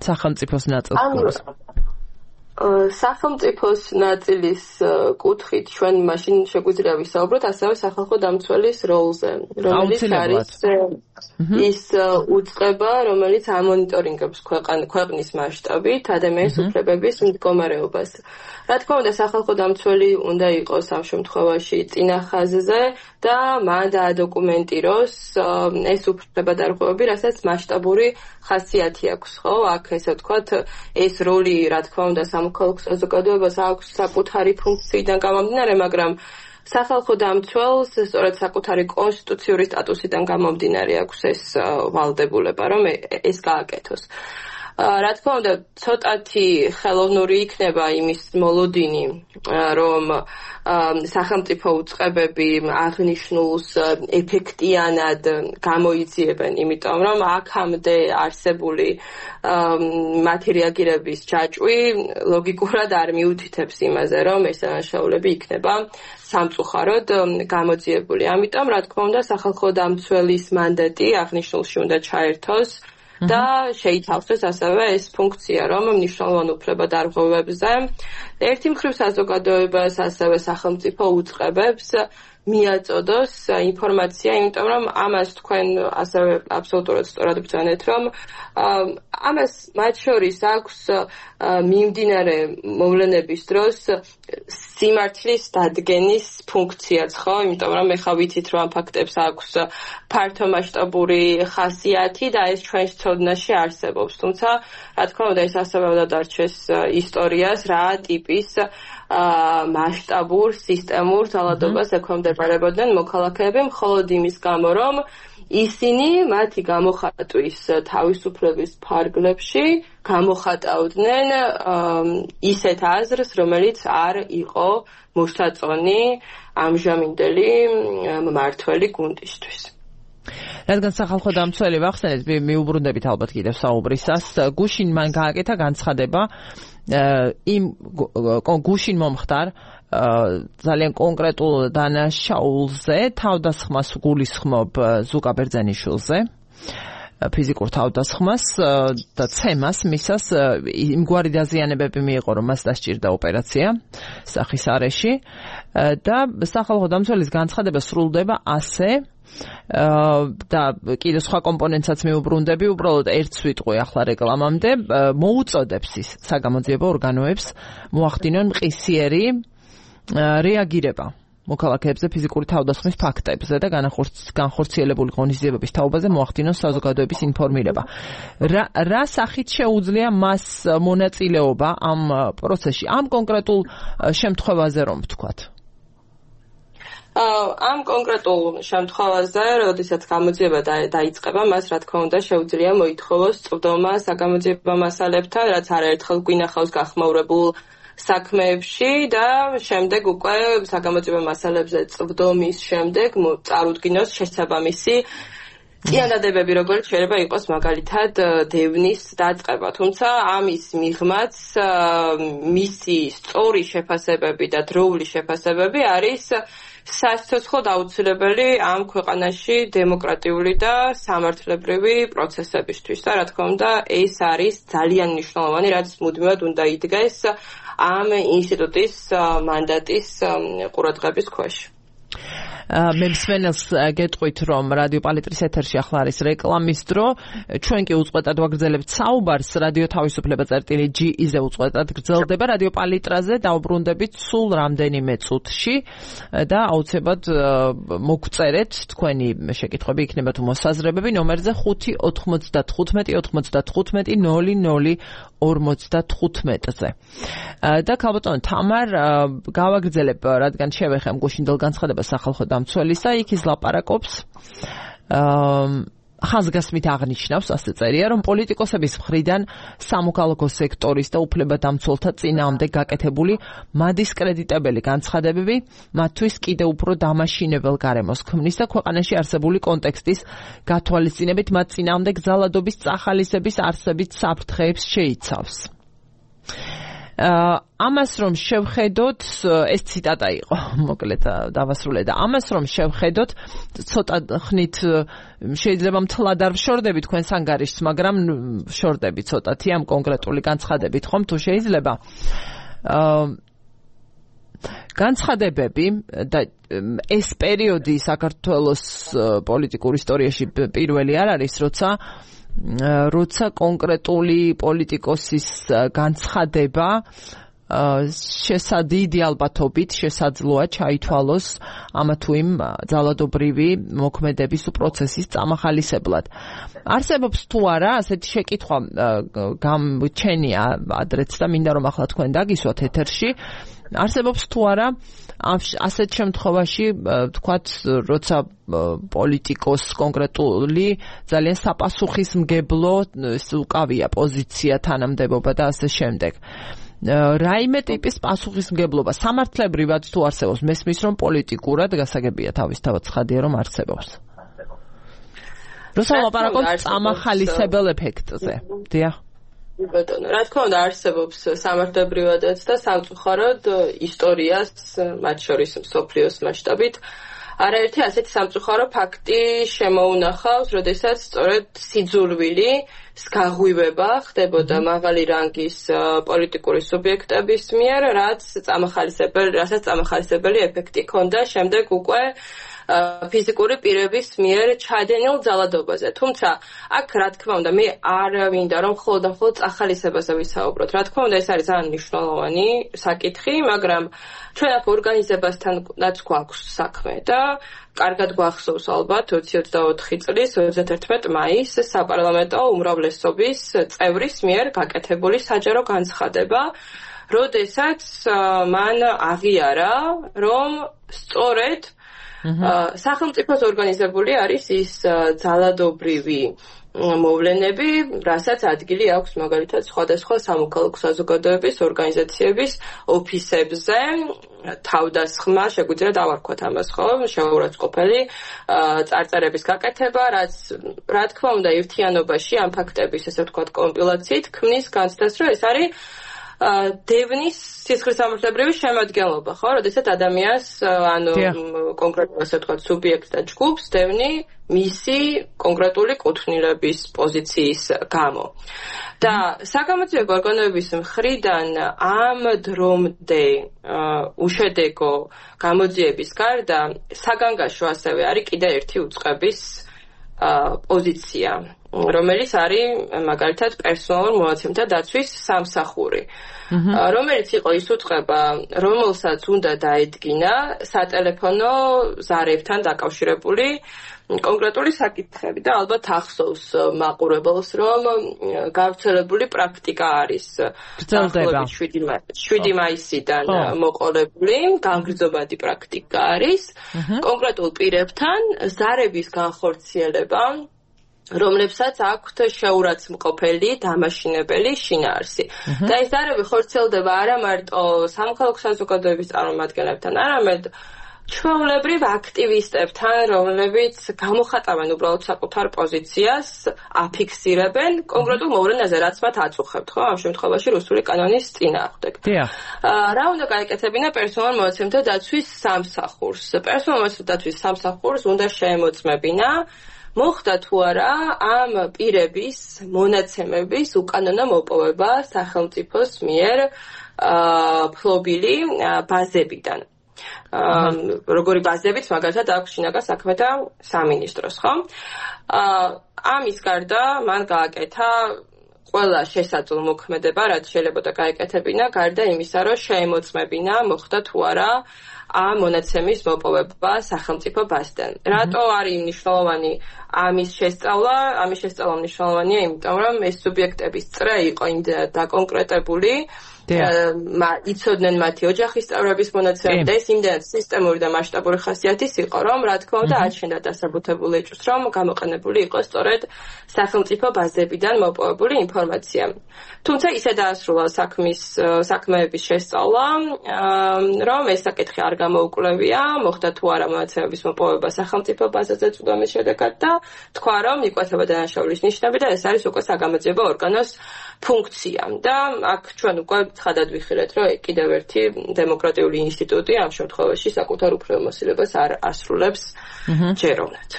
სახელმწიფოს ნაწილს. სახელმწიფოს ნაწილის კუთხით ჩვენ მაშინ შეგვიძლია ვისაუბროთ ასევე სახალხო დამცველის როლზე, რომელიც არის ის უწყება, რომელიც ამონიტორინგებს ქვეყნის მასშტაბით ადამიანის უფლებების მდგომარეობას. რა თქმა უნდა, სახალხო დამცველი უნდა იყოს ამ შემთხვევაში წინა ხაზზე და მან დაადოკუმენტიროს ეს უფლებადარღვევები, რასაც მასშტაბური ხასიათი აქვს, ხო? აქ ესე ვთქვათ, ეს როლი, რა თქმა უნდა, სამოქალაქო საზოგადოებას აქვს საკუთარი ფუნქციიდან გამომდინარე, მაგრამ სახალხო დამცველს სწორედ საკუთარი კონსტიტუციური სტატუსიდან გამომდინარე აქვს ეს ვალდებულება, რომ ეს გააკეთოს. რა თქმა უნდა, ცოტათი ხელოვნური იქნება იმის მოლოდინი, რომ სახელმწიფო უწყებები აღნიშნულს ეფექტიანად გამოიძიებენ, იმიტომ რომ აქამდე არსებული მათი რეაგირების ჯაჭვი ლოგიკურად არ მიუთითებს იმაზე, რომ ეს დანაშაულები იქნება სამწუხაროდ გამოძიებული. ამიტომ, რა თქმა უნდა, სახალხო დამცველის მანდატი აღნიშნულში უნდა ჩაერთოს და შეითავსოს ასევე ეს ფუნქცია, რომ მნიშვნელოვან უფლებადარღვევებზე ერთი მხრივ საზოგადოებას, ასევე სახელმწიფო უწყებებს მიაწოდოს ინფორმაცია, იმიტომ რომ ამას თქვენ ასევე აბსოლუტურად სწორად ბრძანეთ, რომ ამას მათ შორის აქვს მიმდინარე მოვლენების დროს სიმართლის დადგენის ფუნქციაც, ხო? იმიტომ რომ ეხლა ვიცით, რომ ამ ფაქტებს აქვს ფართო მასშტაბური ხასიათი და ეს ჩვენს ცოდნაში არსებობს. თუმცა, რა თქმა უნდა, ეს ასევე უნდა დარჩეს ისტორიას, რა ტიპის მასშტაბურ სისტემურ ძალადობას ექვემდებარებოდნენ მოქალაქეები, მხოლოდ იმის გამო, რომ ისინი მათი გამოხატვის თავისუფლების ფარგლებში გამოხატავდნენ ისეთ აზრს, რომელიც არ იყო მოსაწონი ამჟამინდელი მმართველი გუნდისთვის. რადგან სახალხო დამცველი ვახსენეთ, მიუბრუნდებით ალბათ კიდევ საუბრისას, გუშინ მან გააკეთა განცხადება იმ გუშინ მომხდარ ძალიან კონკრეტულ დანაშაულზე, თავდასხმას გულისხმობ ზუკა ბერძენიშვილზე, ფიზიკურ თავდასხმას და ცემას მისას იმგვარი დაზიანებები მიიღო, რომ მას დასჭირდა ოპერაცია სახის არეში და სახალხო დამცველის განცხადება სრულდება ასე და კიდევ სხვა კომპონენტსაც მიუბრუნდები, უბრალოდ ერთს ვიტყვი ახლა რეკლამამდე, მოუწოდებს ის საგამოძიებო ორგანოებს მოახდინონ მყისიერი რეაგირება მოქალაქეებზე ფიზიკური თავდასხმის ფაქტებზე და განხორციელებული ღონისძიებების თაობაზე მოახდინონ საზოგადოების ინფორმირება. რა სახით შეუძლია მას მონაწილეობა ამ პროცესში, ამ კონკრეტულ შემთხვევაზე რომ ვთქვათ? ამ კონკრეტულ შემთხვევაზე, როდესაც გამოძიება დაიწყება, მას რა თქმა უნდა შეუძლია მოითხოვოს წვდომა საგამოძიებო მასალებთან, რაც არაერთხელ გვინახავს გახმაურებულ საქმეებში და შემდეგ უკვე საგამოძიებო მასალებზე წვდომის შემდეგ წარუდგინოს შესაბამისი წინადადებები, როგორც შეიძლება იყოს მაგალითად დევნის დაწყება. თუმცა ამის მიღმაც მისი სწორი შეფასებები და დროული შეფასებები არის სასიცოცხლოდ აუცილებელი ამ ქვეყანაში დემოკრატიული და სამართლებრივი პროცესებისთვის. და რა თქმა უნდა, ეს არის ძალიან მნიშვნელოვანი, რაც მუდმივად უნდა იდგეს ამ ინსტიტუტის მანდატის ყურადღების ქვეშ. მე მსმენელს გეტყვით, რომ რადიო პალიტრის ეთერში ახლა არის რეკლამის დრო. ჩვენ კი უწყვეტად ვაგრძელებთ საუბარს. რადიო თავისუფლება წერტილი ჯი-ზე უწყვეტად გრძელდება. რადიო პალიტრაზე დავბრუნდებით სულ რამდენიმე წუთში და აუცილებლად მოგწერეთ თქვენი შეკითხვები, იქნება თუ მოსაზრებები ნომერზე ხუთი ოთხმოცდათხუთმეტი ოცდათხუთმეტი ნული ნული ორმოცდათხუთმეტზე. და ქალბატონო თამარ, გავაგრძელებ, რადგან შევეხემ გუშინდელ განცხადებას სახალხო დამცველისა, იქ ის ლაპარაკობს ხაზგასმით აღნიშნავს, ასე წერია, რომ პოლიტიკოსების მხრიდან სამოქალაქო სექტორის და უფლებადამცველთა წინააღმდეგ გაკეთებული მადისკრედიტებელი განცხადებები მათთვის კიდევ უფრო დამაშინებელ გარემოს ქმნის და ქვეყანაში არსებული კონტექსტის გათვალისწინებით მათ წინააღმდეგ ძალადობის წახალისების არსებით საფრთხეებს შეიცავს. ამას რომ შევხედოთ, ეს ციტატა იყო, მოკლედ დავასრულე და ამას რომ შევხედოთ, ცოტა ხნით შეიძლება მთლად არ ვშორდები თქვენს ანგარიშს, მაგრამ ვშორდები ცოტათი ამ კონკრეტული განცხადებით, ხომ თუ შეიძლება. განცხადებები და ეს პერიოდი საქართველოს პოლიტიკურ ისტორიაში პირველი არ არის, როცა როცა კონკრეტული პოლიტიკოსის განცხადება შესაძიდი ალბათობით შესაძლოა ჩაითვალოს ამა თუ იმ ძალადობრივი მოქმედების პროცესის წამახალისებლად. არსებობს თუ არა ასეთი შეკითხვა გამჩენია ადრეც და მინდა რომ ახლა თქვენ დაგისვათ ეთერში, არსებობს თუ არა ასეთ შემთხვევაში თქვათ, როცა პოლიტიკოს კონკრეტული ძალიან საპასუხისმგებლო უკავია პოზიცია, თანამდებობა და ასე შემდეგ. რაიმე ტიპის პასუხისმგებლობა სამართლებრივად თუ არსებობს, მესმის რომ პოლიტიკურად გასაგებია თავისთავად ცხადია რომ არსებობს. როცა ლაპარაკობთ წამახალისებელ ეფექტზე. დიახ. ბატონო, რა თქმა უნდა არსებობს სამართლებრივადაც და სამწუხაროდ ისტორიას, მათ შორის მსოფლიოს მასშტაბით, არაერთი ასეთი სამწუხარო ფაქტი შემოუნახავს, როდესაც სწორედ სიძულვილი გაღვივება ხდებოდა მაღალი რანგის პოლიტიკური სუბიექტების მიერ, რაც წამახალისებელი, რასაც წამახალისებელი ეფექტი ჰქონდა შემდეგ უკვე ფიზიკური პირების მიერ ჩადენილ ძალადობაზე. თუმცა, აქ რა თქმა უნდა, მე არ მინდა რომ მხოლოდ და მხოლოდ წახალისებაზე ვისაუბროთ. რა თქმა უნდა, ეს არის ძალიან მნიშვნელოვანი საკითხი, მაგრამ ჩვენ აქ ორგანიზებასთანაც გვაქვს საქმე და კარგად გვახსოვს ალბათ ოცი ოცდაოთხი წლის ოცდაათერთმეტი მაისს საპარლამენტო უმრავლესობის წევრის მიერ გაკეთებული საჯარო განცხადება, როდესაც მან აღიარა, რომ სწორედ სახელმწიფოს ორგანიზებული არის ის ძალადობრივი მოვლენები, რასაც ადგილი აქვს მაგალითად სხვადასხვა სამოქალაქო საზოგადოების ორგანიზაციების ოფისებზე, თავდასხმა, შეგვიძლია დავარქვათ ამას, ხო, შეურაცხყოფელი წარწერების გაკეთება, რაც რა თქმა უნდა ერთიანობაში ამ ფაქტების, ესე ვთქვათ, კომპილაციით ქმნის განცდას, რომ ეს არის დევნის სისხლისამართლებრივი შემადგენლობა, ხო, როდესაც ადამიანს, ანუ კონკრეტულად ასე ვთქვათ, სუბიექტს და ჯგუფს დევნი მისი კონკრეტული კუთვნილების პოზიციის გამო. და საგამოძიებო ორგანოების მხრიდან ამ დრომდე უშედეგო გამოძიების გარდა საგანგაშო ასევე არის კიდე ერთი უწყების პოზიცია. რომელიც არის მაგალითად პერსონალურ მონაცემთა დაცვის სამსახური. რომელიც იყო ის უწყება, რომელსაც უნდა დაედგინა სატელეფონო ზარებთან დაკავშირებული კონკრეტული საკითხები და ალბათ ახსოვს მაყურებელს, რომ გავრცელებული პრაქტიკა არის შვიდი მაისიდან მოყოლებული, განგრძობადი პრაქტიკა არის კონკრეტულ პირებთან ზარების განხორციელება, რომლებსაც აქვთ შეურაცხმყოფელი დამაშინებელი შინაარსი. და ეს ზარები ხორციელდება არა მარტო სამოქალაქო საზოგადოების წარმომადგენლებთან, არამედ ჩვეულებრივ აქტივისტებთან, რომლებიც გამოხატავენ უბრალოდ საკუთარ პოზიციას, აფიქსირებენ კონკრეტულ მოვლენაზე, რაც მათ აწუხებთ, ხო? ამ შემთხვევაში რუსული კანონის წინააღმდეგ. რა უნდა გაეკეთებინა პერსონალურ მონაცემთა დაცვის სამსახურს? პერსონალურ მონაცემთა დაცვის სამსახურს უნდა შეემოწმებინა მოხდა თუ არა ამ პირების მონაცემების უკანონო მოპოვება სახელმწიფოს მიერ ფლობილი ბაზებიდან. როგორი ბაზებიც მაგალითად აქვს შინაგან საქმეთა სამინისტროს, ხო? ამის გარდა მან გააკეთა ყველა შესაძლო მოქმედება, რაც შეიძლება გაეკეთებინა, გარდა იმისა, რომ შეემოწმებინა მოხდა თუ არა ამ მონაცემის მოპოვება სახელმწიფო ბაზიდან. რატო არის მნიშვნელოვანი ამის შესწავლა? ამის შესწავლა მნიშვნელოვანია, იმიტომ რომ ეს სუბიექტების წრე იყო დაკონკრეტებული, იცოდნენ მათი ოჯახის წევრების მონაცემები და ეს იმდენად სისტემური და მასშტაბური ხასიათის იყო, რომ რა თქმა უნდა აჩენდა დასაბუთებულ ეჭვს, რომ გამოყენებული იყო სწორედ სახელმწიფო ბაზებიდან მოპოვებული ინფორმაცია. თუმცა ისე დაასრულა საქმის საქმეების შესწავლა, რომ ეს საკითხი არ გამოუკვლევია, მოხდა თუ არა მონაცემების მოპოვება სახელმწიფო ბაზაზე წვდომის შედეგად და თქვა, რომ იკვეთება დანაშაულის ნიშნები და ეს არის უკვე საგამოძიებო ორგანოს ფუნქცია. და აქ ჩვენ უკვე ცხადად ვიხილეთ, რომ კიდევ ერთი დემოკრატიული ინსტიტუტი ამ შემთხვევაში საკუთარ უფლებამოსილებას არ ასრულებს ჯეროვნად.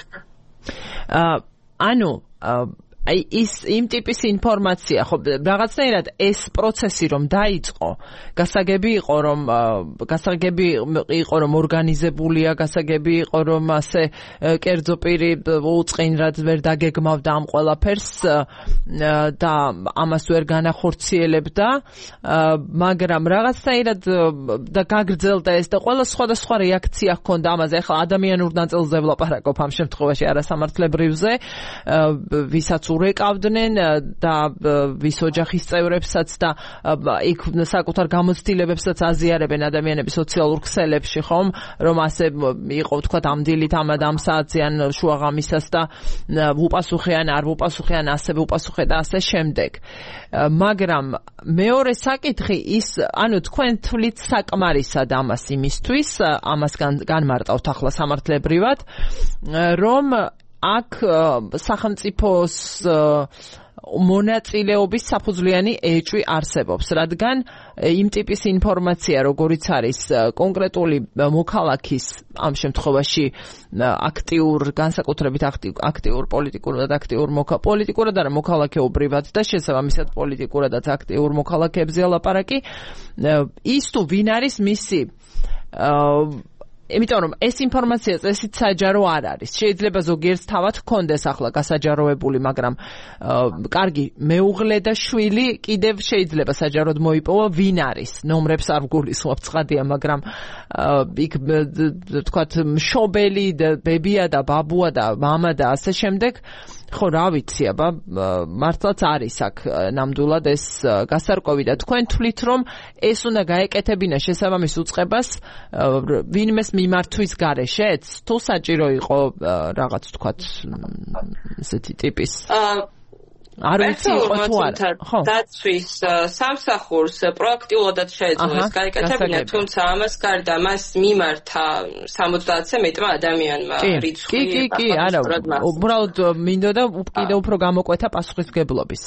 ანუ აი ის იმ ტიპის ინფორმაცია, ხო, რაღაცნაირად ეს პროცესი რომ დაიწყო, გასაგები იყო რომ გასაგები იყო რომ ორგანიზებულია, გასაგები იყო რომ ასე კერძო პირი უწყინრად ვერ დაგეგმავდა ამ ყველაფერს და ამას ვერ განახორციელებდა, მაგრამ რაღაცნაირად და გაგრძელდა ეს და ყველა სხვადასხვა რეაქცია ჰქონდა ამაზე. ახლა ადამიანურ ნაწილზე ვლაპარაკობ ამ შემთხვევაში, არასამართლებრივზე, ვისაც ურეკავდნენ და ვის ოჯახის წევრებსაც და იქ საკუთარ გამოცდილებებსაც აზიარებენ ადამიანები სოციალურ ქსელებში, ხომ, რომ ასე იყო თქვა ამ დილით ამ ამ საათზე ან შუაღამისას და უპასუხეან არ უპასუხეან ასე უპასუხე და ასე შემდეგ. მაგრამ მეორე საკითხი ის, ანუ თქვენ თვლით საკმარისად ამას იმისთვის, ამას განმარტავთ ახლა სამართლებრივად, რომ აქ სახელმწიფოს მონაწილეობის საფუძვლიანი ეჭვი არსებობს, რადგან იმ ტიპის ინფორმაცია, როგორიც არის კონკრეტული მოქალაქის, ამ შემთხვევაში აქტიურ, განსაკუთრებით აქტიურ პოლიტიკურად აქტიურ პოლიტიკურად არა მოქალაქეობრივად და შესაბამისად პოლიტიკურადაც აქტიურ მოქალაქეებზე ლაპარაკი, ის თუ ვინ არის მისი იმიტომ რომ ეს ინფორმაცია წესით საჯარო არ არის. შეიძლება ზოგიერთს თავად ჰქონდეს ახლა გასაჯაროებული, მაგრამ კარგი მეუღლე და შვილი კიდევ შეიძლება საჯაროდ მოიპოვა, ვინ არის. ნომრებს არ ვგულისხმობ, ცხადია, მაგრამ იქ თქვათ მშობელი და ბებია და ბაბუა და მამა და ასე შემდეგ. ხო, რა ვიცი, აბა მართლაც არის აქ ნამდვილად ეს გასარკვევი და თქვენ თვლით, რომ ეს უნდა გაეკეთებინა შესაბამის უწყებას ვინმეს მიმართვის გარეშეც, თუ საჭირო იყო რაღაც თქვათ ესეთი ტიპის არ ვიცი იყო თუ არა. ხო. დაცვის სამსახურს პროაქტიულადაც შეეძლო ეს გაეკეთებინა, თუმცა ამას გარდა მას მიმართა სამოცდაათზე მეტმა ადამიანმა რიცხვი. კი, კი, კი, არა, უბრალოდ მინდოდა კიდევ უფრო გამოკვეთა პასუხისმგებლობის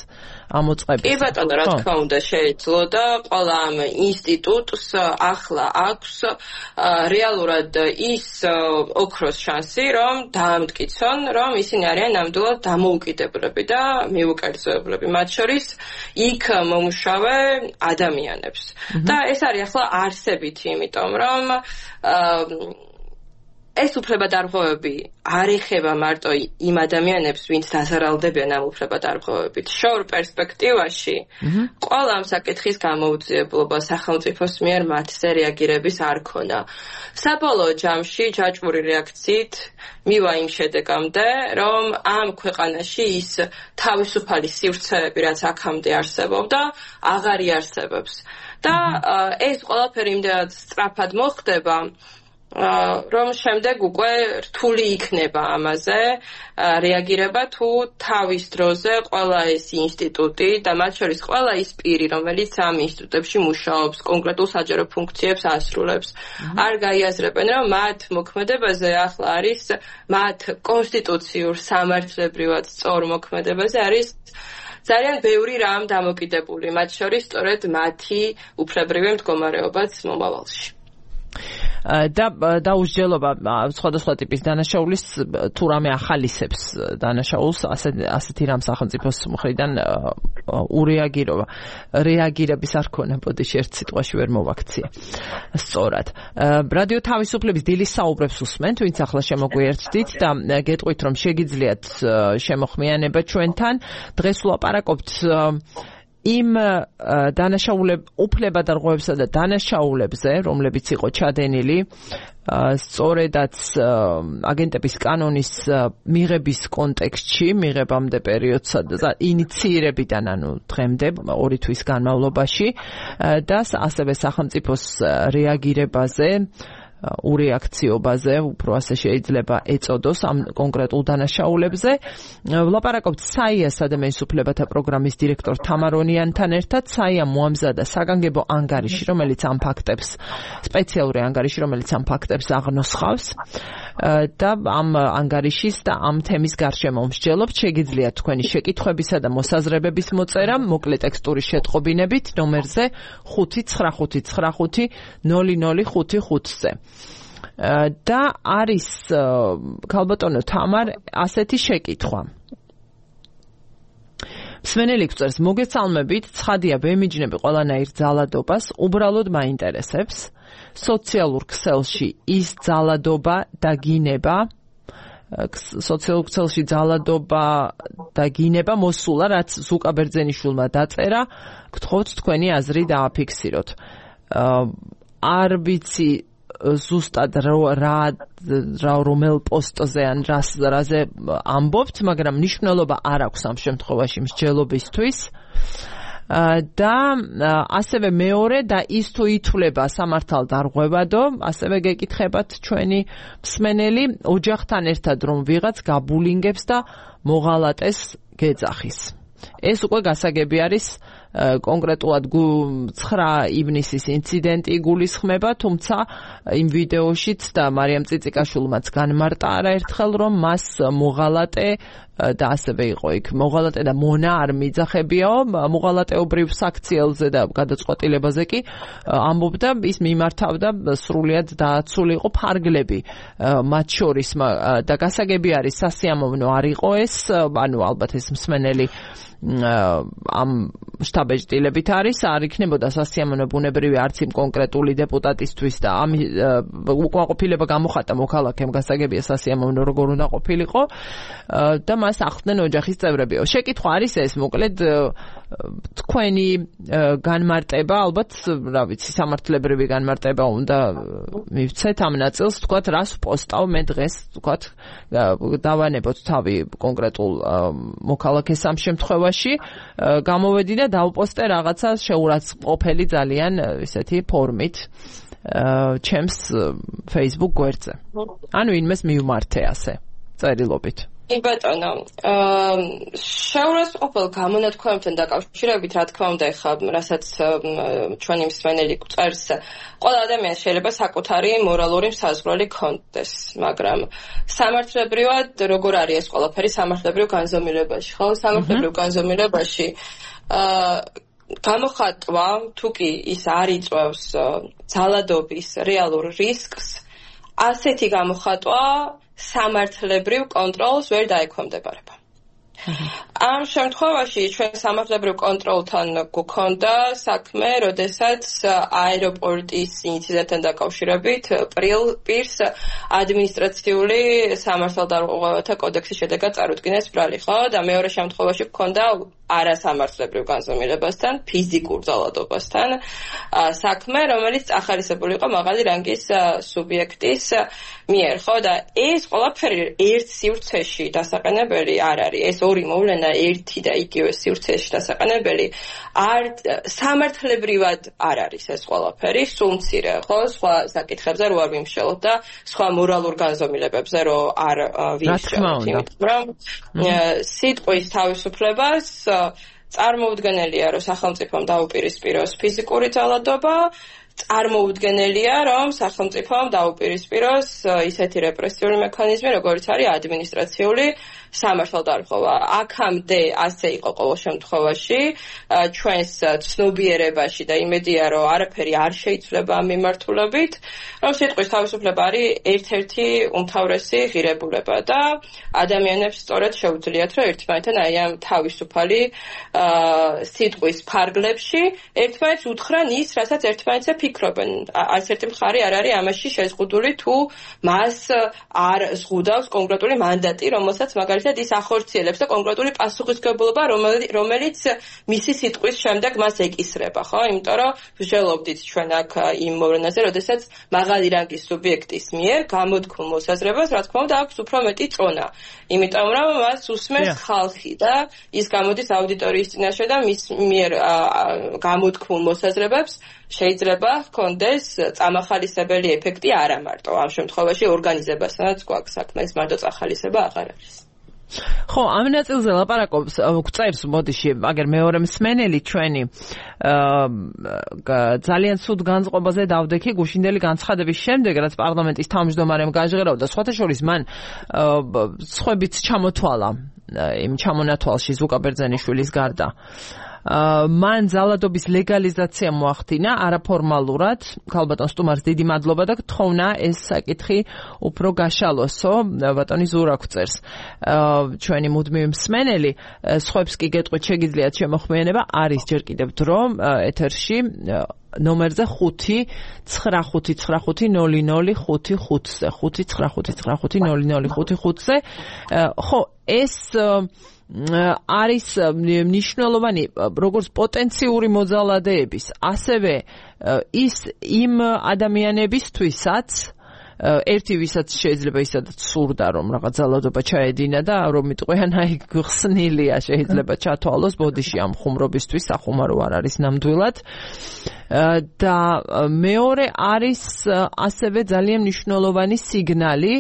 ამოწყების. კი ბატონო, რა თქმა უნდა შეეძლო და ყველა ამ ინსტიტუტს ახლა აქვს რეალურად ის ოქროს შანსი, რომ დაამტკიცონ, რომ ისინი არიან ნამდვილად დამოუკიდებლები და მიუ კერძოებლები, მათ შორის იქ მომუშავე ადამიანებს. და ეს არის ახლა არსებითი, იმიტომ რომ ეს უფლებადარღვევები არ ეხება მარტო იმ ადამიანებს, ვინც დაზარალდებიან ამ უფლებადარღვევებით. შორ პერსპექტივაში ყველა ამ საკითხის გამოუძიებლობა სახელმწიფოს მიერ მათზე რეაგირების არ ქონა. საბოლოო ჯამში ჯაჭვური რეაქციით მივა იმ შედეგამდე, რომ ამ ქვეყანაში ის თავისუფალი სივრცეები, რაც აქამდე არსებობდა, აღარ იარსებობს. და ეს ყველაფერი იმდენად სწრაფად მოხდება, რომ შემდეგ უკვე რთული იქნება ამაზე რეაგირება თუ თავის დროზე ყველა ეს ინსტიტუტი და მათ შორის ყველა ის პირი, რომელიც ამ ინსტიტუტებში მუშაობს, კონკრეტულ საჯარო ფუნქციებს ასრულებს, არ გაიაზრებენ, რომ მათ მოქმედებაზე ახლა არის მათ კონსტიტუციურ სამართლებრივად სწორ მოქმედებაზე არის ძალიან ბევრი რამ დამოკიდებული, მათ შორის სწორედ მათი უფლებრივი მდგომარეობაც მომავალში. და დაუსჯელობა სხვადასხვა ტიპის დანაშაულის თუ რამე ახალისებს დანაშაულს ასეთი რამ სახელმწიფოს მხრიდან ურეაგირება რეაგირების არ ქონა ბოდიში ერთ სიტყვაში ვერ მოვაქციე სწორად რადიო თავისუფლების დილის საუბრებს უსმენთ ვინც ახლა შემოგვიერთდით და გეტყვით რომ შეგიძლიათ შემოხმიანება ჩვენთან დღეს ვლაპარაკობთ იმ დანაშაულებ უფლებადარღვევებსა და დანაშაულებზე, რომლებიც იყო ჩადენილი, სწორედაც აგენტების კანონის მიღების კონტექსტში, მიღებამდე პერიოდსა და ინიცირებიდან, ანუ დღემდე ორი თვის განმავლობაში და ასევე სახელმწიფოს რეაგირებაზე ურეაქციობაზე, უფრო ასე შეიძლება ეწოდოს ამ კონკრეტულ დანაშაულებზე. ვლაპარაკობთ საია ადამიანის უფლებათა პროგრამის დირექტორ თამარონიანთან ერთად. საია მოამზადა საგანგებო ანგარიში, რომელიც ამ ფაქტებს, სპეციალური ანგარიში, რომელიც ამ ფაქტებს აღნოსხავს და ამ ანგარიშის და ამ თემის გარშემო მსჯელობთ. შეგიძლიათ თქვენი შეკითხვებისა და მოსაზრებების მოწერა მოკლე ტექსტური შეტყობინებით ნომერზე ხუთი ცხრა ხუთი ცხრა ხუთი ნული ნული ხუთი ხუთზე. და არის ქალბატონო თამარ ასეთი შეკითხვა. მსმენელი გვწერს, მოგეცალმებით, ცხადია ბემიჯნები ყველანაირ ძალადობას უბრალოდ მაინტერესებს. სოციალურ ქსელში ის ძალადობა და გინება სოციალურ ქსელში ძალადობა და გინება მოსულა, რაც ზუკა ბერძენიშვილმა დაწერა, გთხოვთ თქვენი აზრი დააფიქსიროთ. არ ვიცი ზუსტად რა რა რომელ პოსტზე ან რაზე ამბობთ, მაგრამ მნიშვნელობა არ აქვს ამ შემთხვევაში მსჯელობისთვის. და ასევე მეორე და ის თუ ითვლება სამართალდარღვევადო, ასევე გეკითხებათ ჩვენი მსმენელი, ოჯახთან ერთად რომ ვიღაც გაბულინგებს და მოღალატეს გეძახის. ეს უკვე გასაგები არის კონკრეტულად ცხრა ივნისის ინციდენტი გულისხმება, თუმცა იმ ვიდეოშიც და მარიამ წიწიკაშვილმაც განმარტა არაერთხელ, რომ მას მოღალატე და ასევე იყო იქ მოღალატე და მონა არ მიძახებიაო, მოღალატეობრივ საქციელზე და გადაწყვეტილებაზე კი ამბობდა, ის მიმართავდა სრულიად დააცული იყო ფარგლები მათ შორის და გასაგები არის სასიამოვნო არ იყო ეს, ანუ ალბათ ეს მსმენელი ამ შტაბეჭდილებით არის, არ იქნებოდა სასიამოვნო ბუნებრივი არც იმ კონკრეტული დეპუტატისთვის და ამ უკმაყოფილება გამოხატა მოქალაქემ, გასაგებია სასიამოვნო როგორ უნდა ყოფილიყო და მას ახლდნენ ოჯახის წევრებიო. შეკითხვა არის ეს, მოკლედ თქვენი განმარტება, ალბათ, რა ვიცი, სამართლებრივი განმარტება უნდა მივცეთ ამ ნაწილს, თქვათ, რას ვპოსტავ მე დღეს, თქვათ, დავანებოთ თავი კონკრეტულ მოქალაქეს ამ შემთხვევაში, გამოვედი და დავპოსტე რაღაცა შეურაცხყოფელი ძალიან ესეთი ფორმით ჩემს Facebook გვერდზე. ანუ ინმეს მივმართე ასე წერილობით. ბატონო, შეურაცხყოფელ გამონათქვამებთან დაკავშირებით, რა თქმა უნდა, ეხლა რასაც ჩვენი მსმენელი გვწერს, ყველა ადამიანს შეიძლება საკუთარი მორალური საზღვრები ჰქონდეს, მაგრამ სამართლებრივად როგორ არის ეს ყველაფერი სამართლებრივ განზომილებაში, ხო? სამართლებრივ განზომილებაში გამოხატვა, თუ კი ის არ იწვევს ძალადობის რეალურ რისკს, ასეთი გამოხატვა სამართლებრივ კონტროლს ვერ დაექვემდებარება. ამ შემთხვევაში ჩვენ სამართლებრივ კონტროლთან გვქონდა საქმე, როდესაც აეროპორტის ინციდენტთან დაკავშირებით პირს ადმინისტრაციული სამართალდამცავთა კოდექსის შედეგად წარუდგინეს ბრალი, ხო? და მეორე შემთხვევაში გვქონდა არასამართლებრივ განზომილებასთან, ფიზიკურ ძალადობასთან საქმე, რომელიც ახალისებული იყო მაღალი რანგის სუბიექტის მიერ, ხო? და ეს ყველაფერი ერთ სივრცეში დასაყენებელი არ არის. ეს ორი მოვლენა ერთი და იგივე სივრცეში დასაყენებელი არ სამართლებრივად არ არის ეს ყველაფერი, სულ მცირე, ხო? სხვა საკითხებზე რო არ ვიმშელოთ და სხვა მორალურ განზომილებებზე რო არ ვიმშელოთ. მაგრამ სიტყვის თავისუფლებას წარმოუდგენელია, რომ სახელმწიფომ დაუპირისპიროს ფიზიკური ძალადობა, წარმოუდგენელია, რომ სახელმწიფომ დაუპირისპიროს ისეთი რეპრესიული მექანიზმი, როგორც არის ადმინისტრაციული სამართალდამცავი. აქამდე ასე იყო ყოველ შემთხვევაში, ჩვენს ცნობიერებაში და იმედია, რომ არაფერი არ შეიცვლება ამ მიმართულებით, რომ სიტყვის თავისუფლება არის ერთ-ერთი უმთავრესი ღირებულება და ადამიანებს სწორედ შეუძლიათ, რომ ერთმანეთთან აი ამ თავისუფალი სიტყვის ფარგლებში ერთმანეთს უთხრან ის, რასაც ერთმანეთზე ფიქრობენ. არც ერთი მხარე არ არის ამაში შეზღუდული, თუ მას არ ზღუდავს კონკრეტული მანდატი, რომელსაც მაგალითად ის ახორციელებს და კონკრეტული პასუხისმგებლობა, რომელიც მისი სიტყვის შემდეგ მას ეკისრება, ხო? იმიტომ რომ ვშელობდით ჩვენ აქ იმ მოვლენაზე, როდესაც მაღალი რანგის სუბიექტის მიერ გამოთქმულ მოსაზრებას, რა თქმა უნდა, აქვს უფრო მეტი წონა. იმიტომ რომ მას უსმენს ხალხი და ის გამოდის აუდიტორიის წინაშე და მის მიერ გამოთქმულ მოსაზრებებს შეიძლება ჰქონდეს წამახალისებელი ეფექტი არა მარტო ამ შემთხვევაში ორგანიზებასთანაც გვაქვს საქმე, ეს მარტო წახალისება აღარ არის. ხო, ამ ნაწილზე ლაპარაკობს, გვწერს მოდიში, აგერ მეორე მსმენელი ჩვენი ძალიან სულ განწყობაზე დავდექი გუშინდელი განცხადების შემდეგ, რაც პარლამენტის თავმჯდომარემ გაჟღერაუდა, სხვათა შორის მან სხვებიც ჩამოთვალა იმ ჩამონათვალში ზუკა ბერძენიშვილის გარდა. მან ძალადობის ლეგალიზაცია მოახდინა არაფორმალურად, ქალბატონ სტუმარს დიდი მადლობა და გთხოვნა ეს საკითხი უფრო გაშალოსო, ბატონი ზურა გვწერს. ჩვენი მუდმივი მსმენელი, სხვებს კი გეტყვით შეგიძლიათ შემოხმიანება, არის ჯერ კიდევ დრო ეთერში ნომერზე ხუთი ცხრა ხუთი ცხრა ხუთი ნოლი ნოლი ხუთი ხუთზე ხუთი ცხრა ხუთი ცხრა ხუთი ნოლი ნოლი ხუთი ხუთზე. ხო, ეს არის მნიშვნელოვანი როგორც პოტენციური მოძალადეების, ასევე ის იმ ადამიანებისთვისაც, ერთი ვისაც შეიძლება ისედაც სურდა რომ რაღაც ძალადობა ჩაედინა და რომ მიტყვიან აი ხსნილია შეიძლება ჩათვალოს ბოდიში ამ ხუმრობისთვის, სახუმარო არ არის ნამდვილად. და მეორე არის ასევე ძალიან მნიშვნელოვანი სიგნალი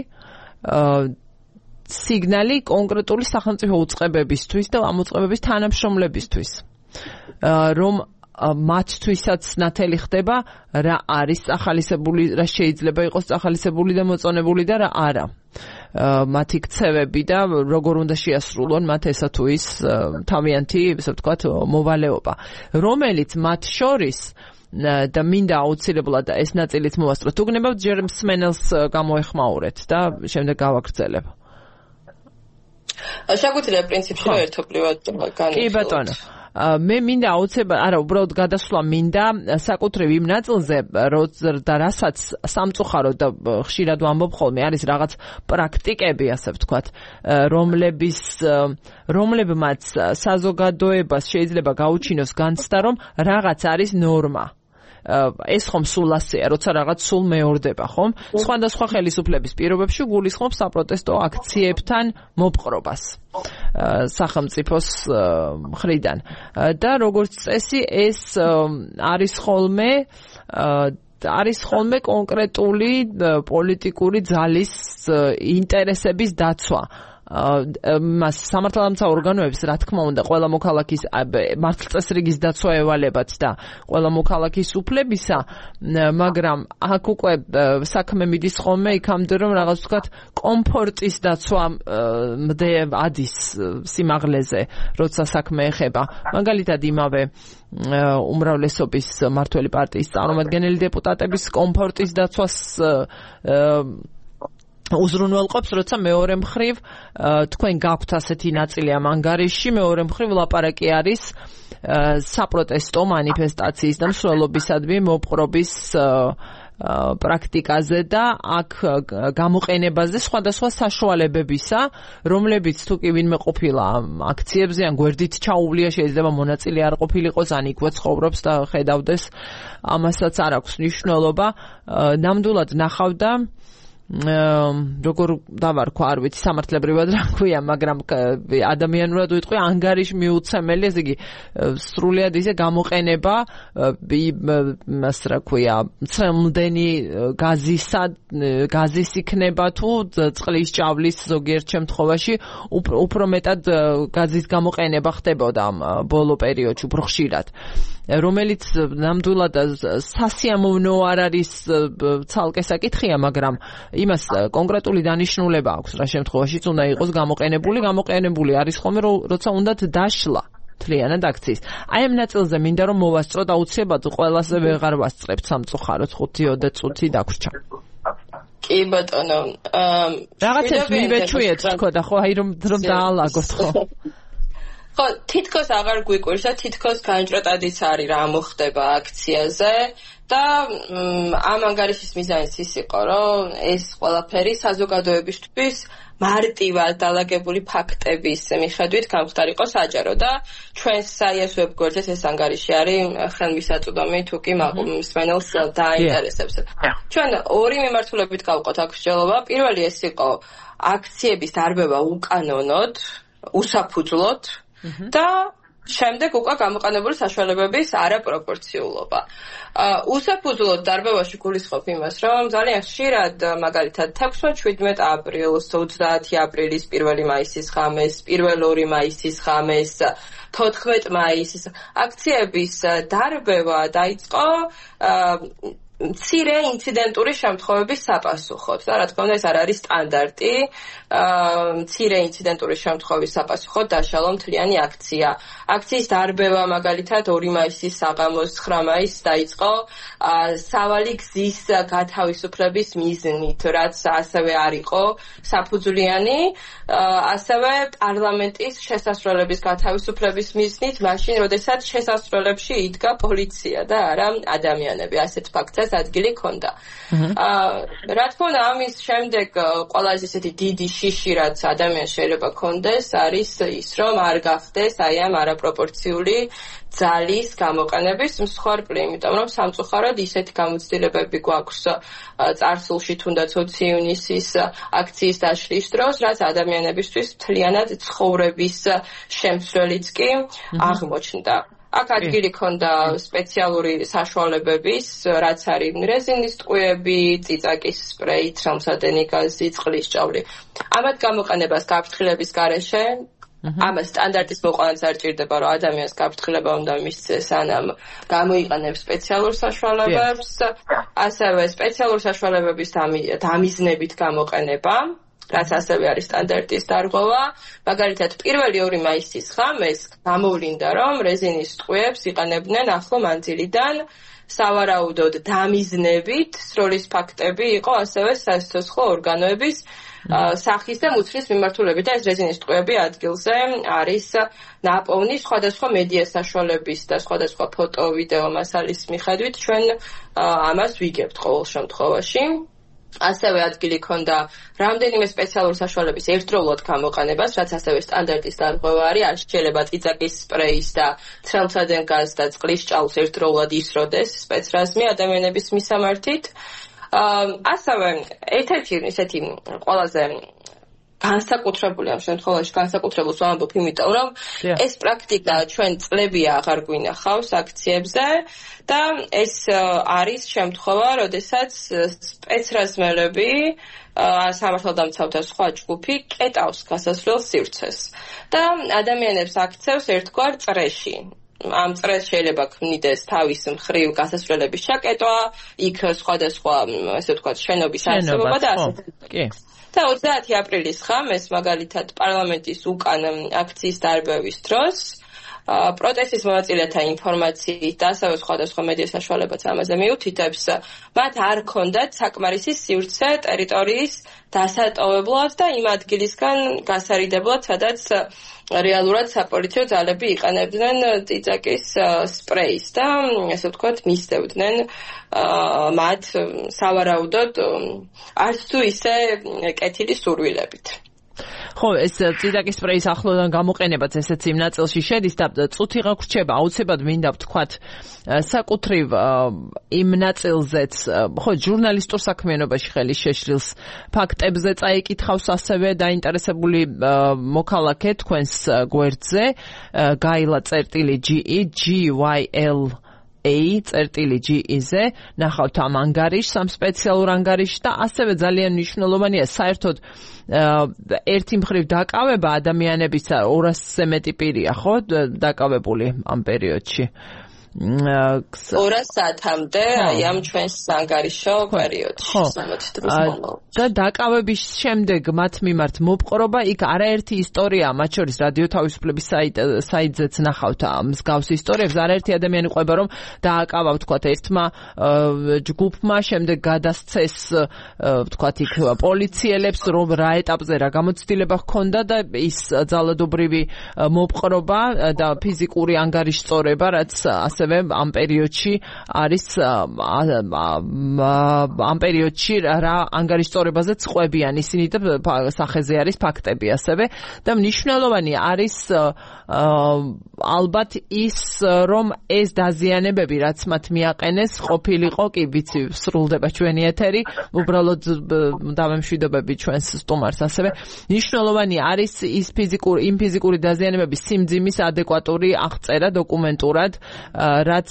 სიგნალი კონკრეტული სახელმწიფო უწყებებისთვის და ამ უწყებების თანამშრომლებისთვის, რომ მათთვისაც ნათელი ხდება რა არის ახალისებული, რა შეიძლება იყოს ახალისებული და მოწონებული და რა არა. მათი ქცევები და როგორ უნდა შეასრულონ მათ ესა თუ ის თავიანთი, ესე ვთქვათ, მოვალეობა, რომელიც მათ შორის და მინდა აუცილებლად ეს ნაწილით მოვასწროთ. თუ გნებავთ, ჯერ მსმენელს გამოეხმაურეთ და შემდეგ გავაგრძელებ. შეგვიძლია პრინციპში ერთობლივად განვიხილოთ. კი ბატონო. მე მინდა აუცილებლად, არა, უბრალოდ გადასვლა მინდა საკუთრივ იმ ნაწილზე, და რასაც სამწუხაროდ და ხშირად ვამბობ ხოლმე, არის რაღაც პრაქტიკები, ასე ვთქვათ, რომლების რომლებმაც საზოგადოებას შეიძლება გაუჩინოს განცდა, რომ რაღაც არის ნორმა. ეს ხომ სულ ასეა, როცა რაღაც სულ მეორდება, ხომ? სხვადასხვა ხელისუფლების პირობებში გულისხმობს საპროტესტო აქციებთან მოპყრობას სახელმწიფოს მხრიდან. და როგორც წესი, ეს არის ხოლმე არის ხოლმე კონკრეტული პოლიტიკური ძალის ინტერესების დაცვა. მას სამართალდამცავ ორგანოებს, რა თქმა უნდა, ყველა მოქალაქის მართლწესრიგის დაცვა ევალებათ და ყველა მოქალაქის უფლებისა, მაგრამ აქ უკვე საქმე მიდის ხოლმე იქამდე, რომ რაღაც ვთქვათ, კომფორტის დაცვა ადის სიმაღლეზე, როცა საქმე ეხება. მაგალითად, იმავე უმრავლესობის მმართველი პარტიის წარმომადგენელი დეპუტატების კომფორტის დაცვას უზრუნველყოფს, როცა მეორე მხრივ თქვენ გაქვთ ასეთი ნაწილი ამ ანგარიშში, მეორე მხრივ ლაპარაკი არის საპროტესტო მანიფესტაციის და მსვლელობისადმი მოპყრობის პრაქტიკაზე და აქ გამოყენებაზე სხვადასხვა საშუალებებისა, რომლებიც თუ კი ვინმე ყოფილა აქციებზე ან გვერდით ჩაუვლია, შეიძლება მონაწილე არ ყოფილიყოს, ან იქვე ცხოვრობს და ხედავდეს, ამასაც არ აქვს მნიშვნელობა. ნამდვილად ნახავდა როგორ დავარქვა, არ ვიცი სამართლებრივად რა ქვია, მაგრამ ადამიანურად ვიტყვი, ანგარიში მიუცემელი, ესე იგი სრულიად ისე გამოყენება მას რა ქვია, მცემლდენი გაზისა, გაზის იქნება თუ წყლის ჭავლის ზოგიერთ შემთხვევაში უფრო მეტად გაზის გამოყენება ხდებოდა ბოლო პერიოდში, უფრო ხშირად, რომელიც ნამდვილად სასიამოვნო არ არის ცალკე საკითხია, მაგრამ იმას კონკრეტული დანიშნულება აქვს, რა შემთხვევაშიც უნდა იყოს გამოყენებული, გამოყენებული არის ხოლმე, როცა უნდათ დაშლა მთლიანად აქციის. აი ამ ნაწილზე მინდა რომ მოვასწროთ, აუცილებლად ყველასე ვეღარ ვასწრებთ სამწუხაროდ, ხუთი ოცდაათი წუთი დაგვრჩა. კი ბატონო, რაღაცებს მივეჩვიეთ თქო და ხო, აი რომ რომ დაალაგოთ ხო. ხო, თითქოს აღარ გვიკვირს და თითქოს განჭრეტადიც არის რა მოხდება აქციაზე და ამ ანგარიშის მიზანიც ის იყო, რომ ეს ყველაფერი საზოგადოებისთვის მარტივად დალაგებული ფაქტების მიხედვით გამხდარიყო საჯარო და ჩვენს საიას ვებგვერდზე ეს ანგარიში არის ხელმისაწვდომი თუ კი მსმენელს დაინტერესებს. ჩვენ ორი მიმართულებით გავყოთ აქ მსჯელობა. პირველი ეს იყო აქციების დარბევა უკანონოდ, უსაფუძვლოდ და შემდეგ უკვე გამოყენებული საშუალებების არაპროპორციულობა. უსაფუძვლოდ დარბევაში გულისხმობ იმას, რომ ძალიან ხშირად მაგალითად თექვსმეტ-შვიდმეტ აპრილს, ოცდაათი აპრილის, პირველი მაისის ღამეს, პირველ ორი მაისის ღამეს, თოთხმეტ მაისის აქციების დარბევა დაიწყო მცირე ინციდენტური შემთხვევების საპასუხოდ. და რა თქმა უნდა, ეს არ არის სტანდარტი. მცირე ინციდენტური შემთხვევის საპასუხოდ დაშალო მთლიანი აქცია. აქციის დარბევა მაგალითად ორი მაისის საღამოს ცხრა მაისს დაიწყო სავალი გზის გათავისუფლების მიზნით, რაც ასევე არ იყო საფუძვლიანი, ასევე პარლამენტის შესასვლელების გათავისუფლების მიზნით, მაშინ, როდესაც შესასვლელებში იდგა პოლიცია და არა ადამიანები. ასეთ ფაქტს ადგილი ქონდა. რა თქმა უნდა, ამის შემდეგ ყველაზე ისეთი დიდი შიში, რაც ადამიანს შეიძლება ქონდეს, არის ის, რომ არ გახდეს აი ამ არაპროპორციული ძალის გამოყენების მსხვერპლი, იმიტომ რომ სამწუხაროდ ისეთი გამოცდილებები გვაქვს წარსულში, თუნდაც ოცი ივნისის აქციის დაშლის დროს, რაც ადამიანებისთვის მთლიანად ცხოვრების შემცვლელიც კი აღმოჩნდა. აქ ადგილი ქონდა სპეციალური საშუალებების, რაც არის რეზინის ტყვიები, წიწაკის სპრეი, თხელმსადენი გაზი, წყლის ჭავლი. ამათ გამოყენებას გაფრთხილების გარეშე, ამას სტანდარტის მოყანაც არ ჭირდება, რომ ადამიანს გაფრთხილება უნდა მისცეს, ანამ გამოიყენებს სპეციალურ საშუალებებს, ასევე სპეციალურ საშუალებების დამიზნებით გამოყენება, რაც ასევე არის სტანდარტის დარღვევა. მაგალითად, პირველი ორი მაისის ღამეს გამოვლინდა, რომ რეზინის ტყვიებს იყენებდნენ ახლო მანძილიდან, სავარაუდოდ დამიზნებით, სროლის ფაქტები იყო ასევე სასიცოცხლო ორგანოების სახის და მუცლის მიმართულებით და ეს რეზინის ტყვიები ადგილზე არის ნაპოვნი სხვადასხვა მედია საშუალების და სხვადასხვა ფოტო, ვიდეო მასალის მიხედვით ჩვენ ამას ვიგებთ ყოველ შემთხვევაში. ასევე ადგილი ქონდა რამდენიმე სპეციალური საშუალების ერთდროულად გამოყენებას, რაც ასევე სტანდარტის დარღვევა არის, არ შეიძლება წიწაკის სპრეის და თხელმსადენ გაზს და წყლის ჭაულს ერთდროულად ისროდეს სპეცრაზმი ადამიანების მისამართით. ასევე ერთ-ერთი ისეთი ყველაზე განსაკუთრებული ამ შემთხვევაში განსაკუთრებულს ვამბობ, იმიტომ რომ ეს პრაქტიკა ჩვენ წლებია აღარ გვინახავს აქციებზე და ეს არის შემთხვევა, როდესაც სპეცრაზმელები სამართალდამცავთა სხვა ჯგუფი კეტავს გასასვლელ სივრცეს და ადამიანებს აქცევს ერთგვარ წრეში. ამ წრეს შეიძლება ქმნიდეს თავის მხრივ გასასვლელების ჩაკეტვა, იქ სხვადასხვა, ესე ვთქვათ, შენობის არსებობა და ასე. კი. და ოცდაათი აპრილის ღამეს, მაგალითად, პარლამენტის უკან აქციის დარბევის დროს პროტესტის მონაწილეთა ინფორმაციით და ასევე სხვადასხვა მედია საშუალებაც ამაზე მიუთითებს, მათ არ ჰქონდათ საკმარისი სივრცე ტერიტორიის დასატოვებლად და იმ ადგილისგან გასარიდებლად, სადაც რეალურად საპოლიციო ძალები იყენებდნენ წიწაკის სპრეის და ესე ვთქვათ მისდევდნენ მათ სავარაუდოდ არც თუ ისე კეთილი სურვილებით. ხო, ეს წიწაკის სპრეის ახლოდან გამოყენებაც ესეც იმ ნაწილში შედის და წუთი გაგვრჩება, აუცილებლად მინდა ვთქვათ საკუთრივ იმ ნაწილზეც, ხო, ჟურნალისტურ საქმიანობაში ხელი შეშლილს ფაქტებზე წაიკითხავს ასევე დაინტერესებული მოქალაქე თქვენს გვერდზე, გაილა წერტილი ჯი ვაი ელ A წერტილი ჯი-ზე ნახავთ ამ ანგარიშს, ამ სპეციალურ ანგარიშს და ასევე ძალიან მნიშვნელოვანია საერთოდ ერთი მხრივ დაკავება ადამიანების ორასზე მეტი პირია, ხო, დაკავებული ამ პერიოდში. ორას საათამდე აი ამ ჩვენს ანგარიშო პერიოდში სამოცი დღის განმავლობაში. და დაკავების შემდეგ მათ მიმართ მოპყრობა, იქ არაერთი ისტორია, მათ შორის რადიო თავისუფლების საიტზეც ნახავთ მსგავს ისტორიებს, არაერთი ადამიანი ყვება რომ დააკავა ვთქვათ ერთმა ჯგუფმა, შემდეგ გადასცეს ვთქვათ იქ პოლიციელებს, რომ რა ეტაპზე რა გამოცდილება ჰქონდა და ის ძალადობრივი მოპყრობა და ფიზიკური ანგარიშწორება, რაც ასევე ამ პერიოდში არის ამ პერიოდში რა ანგარიშწორებაზე წყვებიან ისინი და სახეზე არის ფაქტები ასევე და მნიშვნელოვანი არის ალბათ ის რომ ეს დაზიანებები რაც მათ მიაყენეს ყოფილიყო კი ვიცი სრულდება ჩვენი ეთერი უბრალოდ დავემშვიდობები ჩვენს სტუმარს ასევე მნიშვნელოვანი არის ის ფიზიკური იმ ფიზიკური დაზიანებების სიმძიმის ადეკვატური აღწერა დოკუმენტურად რაც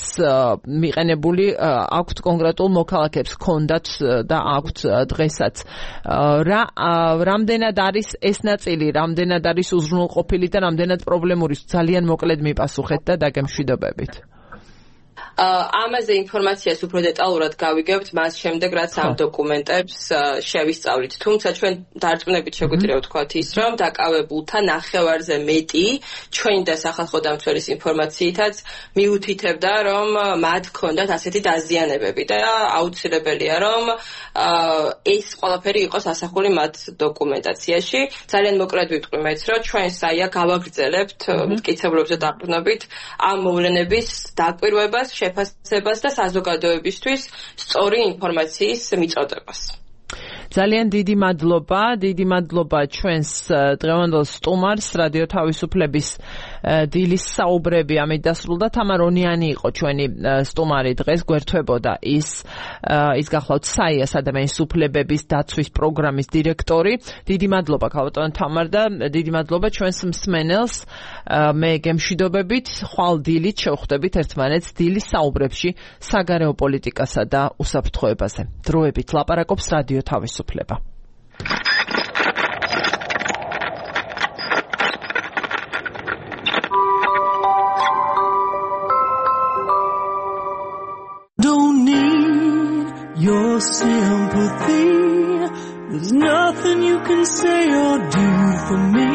მიყენებული აქვთ კონკრეტულ მოქალაქეებს ჰქონდათ და აქვთ დღესაც რა რამდენად არის ეს ნაწილი რამდენად არის უზრუნველყოფილი და რამდენად პრობლემური ძალიან მოკლედ მიპასუხეთ და დაგემშვიდობებით ამაზე ინფორმაციას უფრო დეტალურად გავიგებთ მას შემდეგ რაც ამ დოკუმენტებს შევისწავლით თუმცა ჩვენ დარწმუნებით შეგვიძლია ვთქვათ ის რომ დაკავებულთა ნახევარზე მეტი ჩვენი და სახალხო დამცველის ინფორმაციითაც მიუთითებდა რომ მათ ჰქონდათ ასეთი დაზიანებები და აუცილებელია რომ ეს ყველაფერი იყოს ასახული მათ დოკუმენტაციაში ძალიან მოკლედ ვიტყვი მეც რომ ჩვენ საია გავაგრძელებთ მტკიცებულებზე დაყრდნობით ამ მოვლენების დაკვირვებას შეფასებას და საზოგადოებისთვის სწორი ინფორმაციის მიწოდებას. ძალიან დიდი მადლობა, დიდი მადლობა ჩვენს დღევანდელ სტუმარს, რადიო თავისუფლების დილის საუბრები ამით დასრულდა. თამარ ონიანი იყო ჩვენი სტუმარი დღეს, გვერდთვებოდა ის ის გახლავთ საიას ადამიანის უფლებების დაცვის პროგრამის დირექტორი. დიდი მადლობა ქალბატონ თამარ და დიდი მადლობა ჩვენს მსმენელს. მე გემშვიდობებით, ხვალ დილით შევხვდებით ერთმანეთს დილის საუბრებში საგარეო პოლიტიკასა და უსაფრთხოებაზე. დროებით ლაპარაკობს რადიო თავისუფლება. Don't need your sympathy. There's nothing you can say or do for me.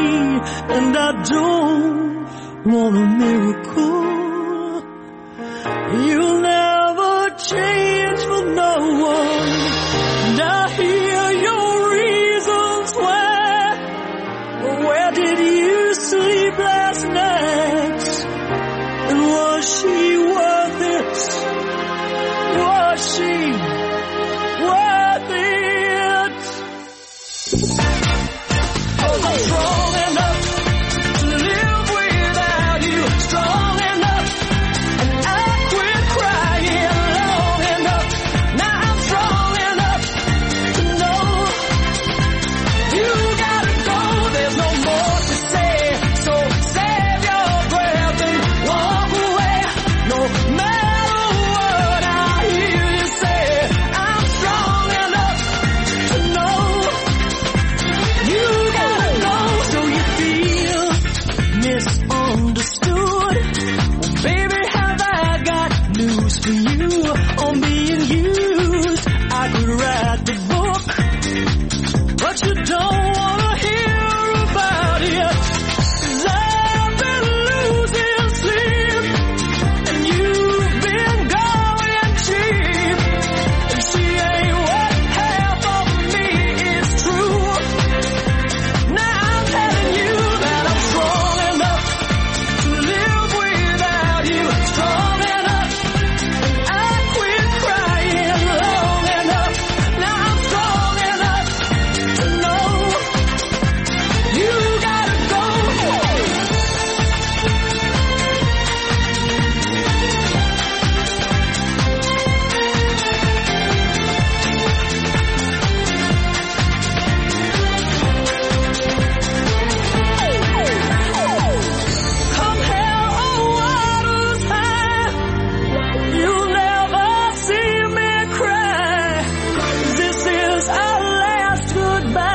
And I don't want a miracle. You'll never change for no one. And I hear your reasons why. Where did you sleep last night? And was she worth it? Was she worth it? I'm strong enough to live without you. Strong enough, and I quit crying long enough. Now I'm strong enough to know you gotta go. There's no more to say, so save your breath and walk away. No matter what I hear you say, I'm strong enough to know you gotta go. So you feel misunderstood. Well, baby, have I got news for you on being used? I could write the book, but you don't wanna hear about it. 'Cause I've been losing sleep goodbye.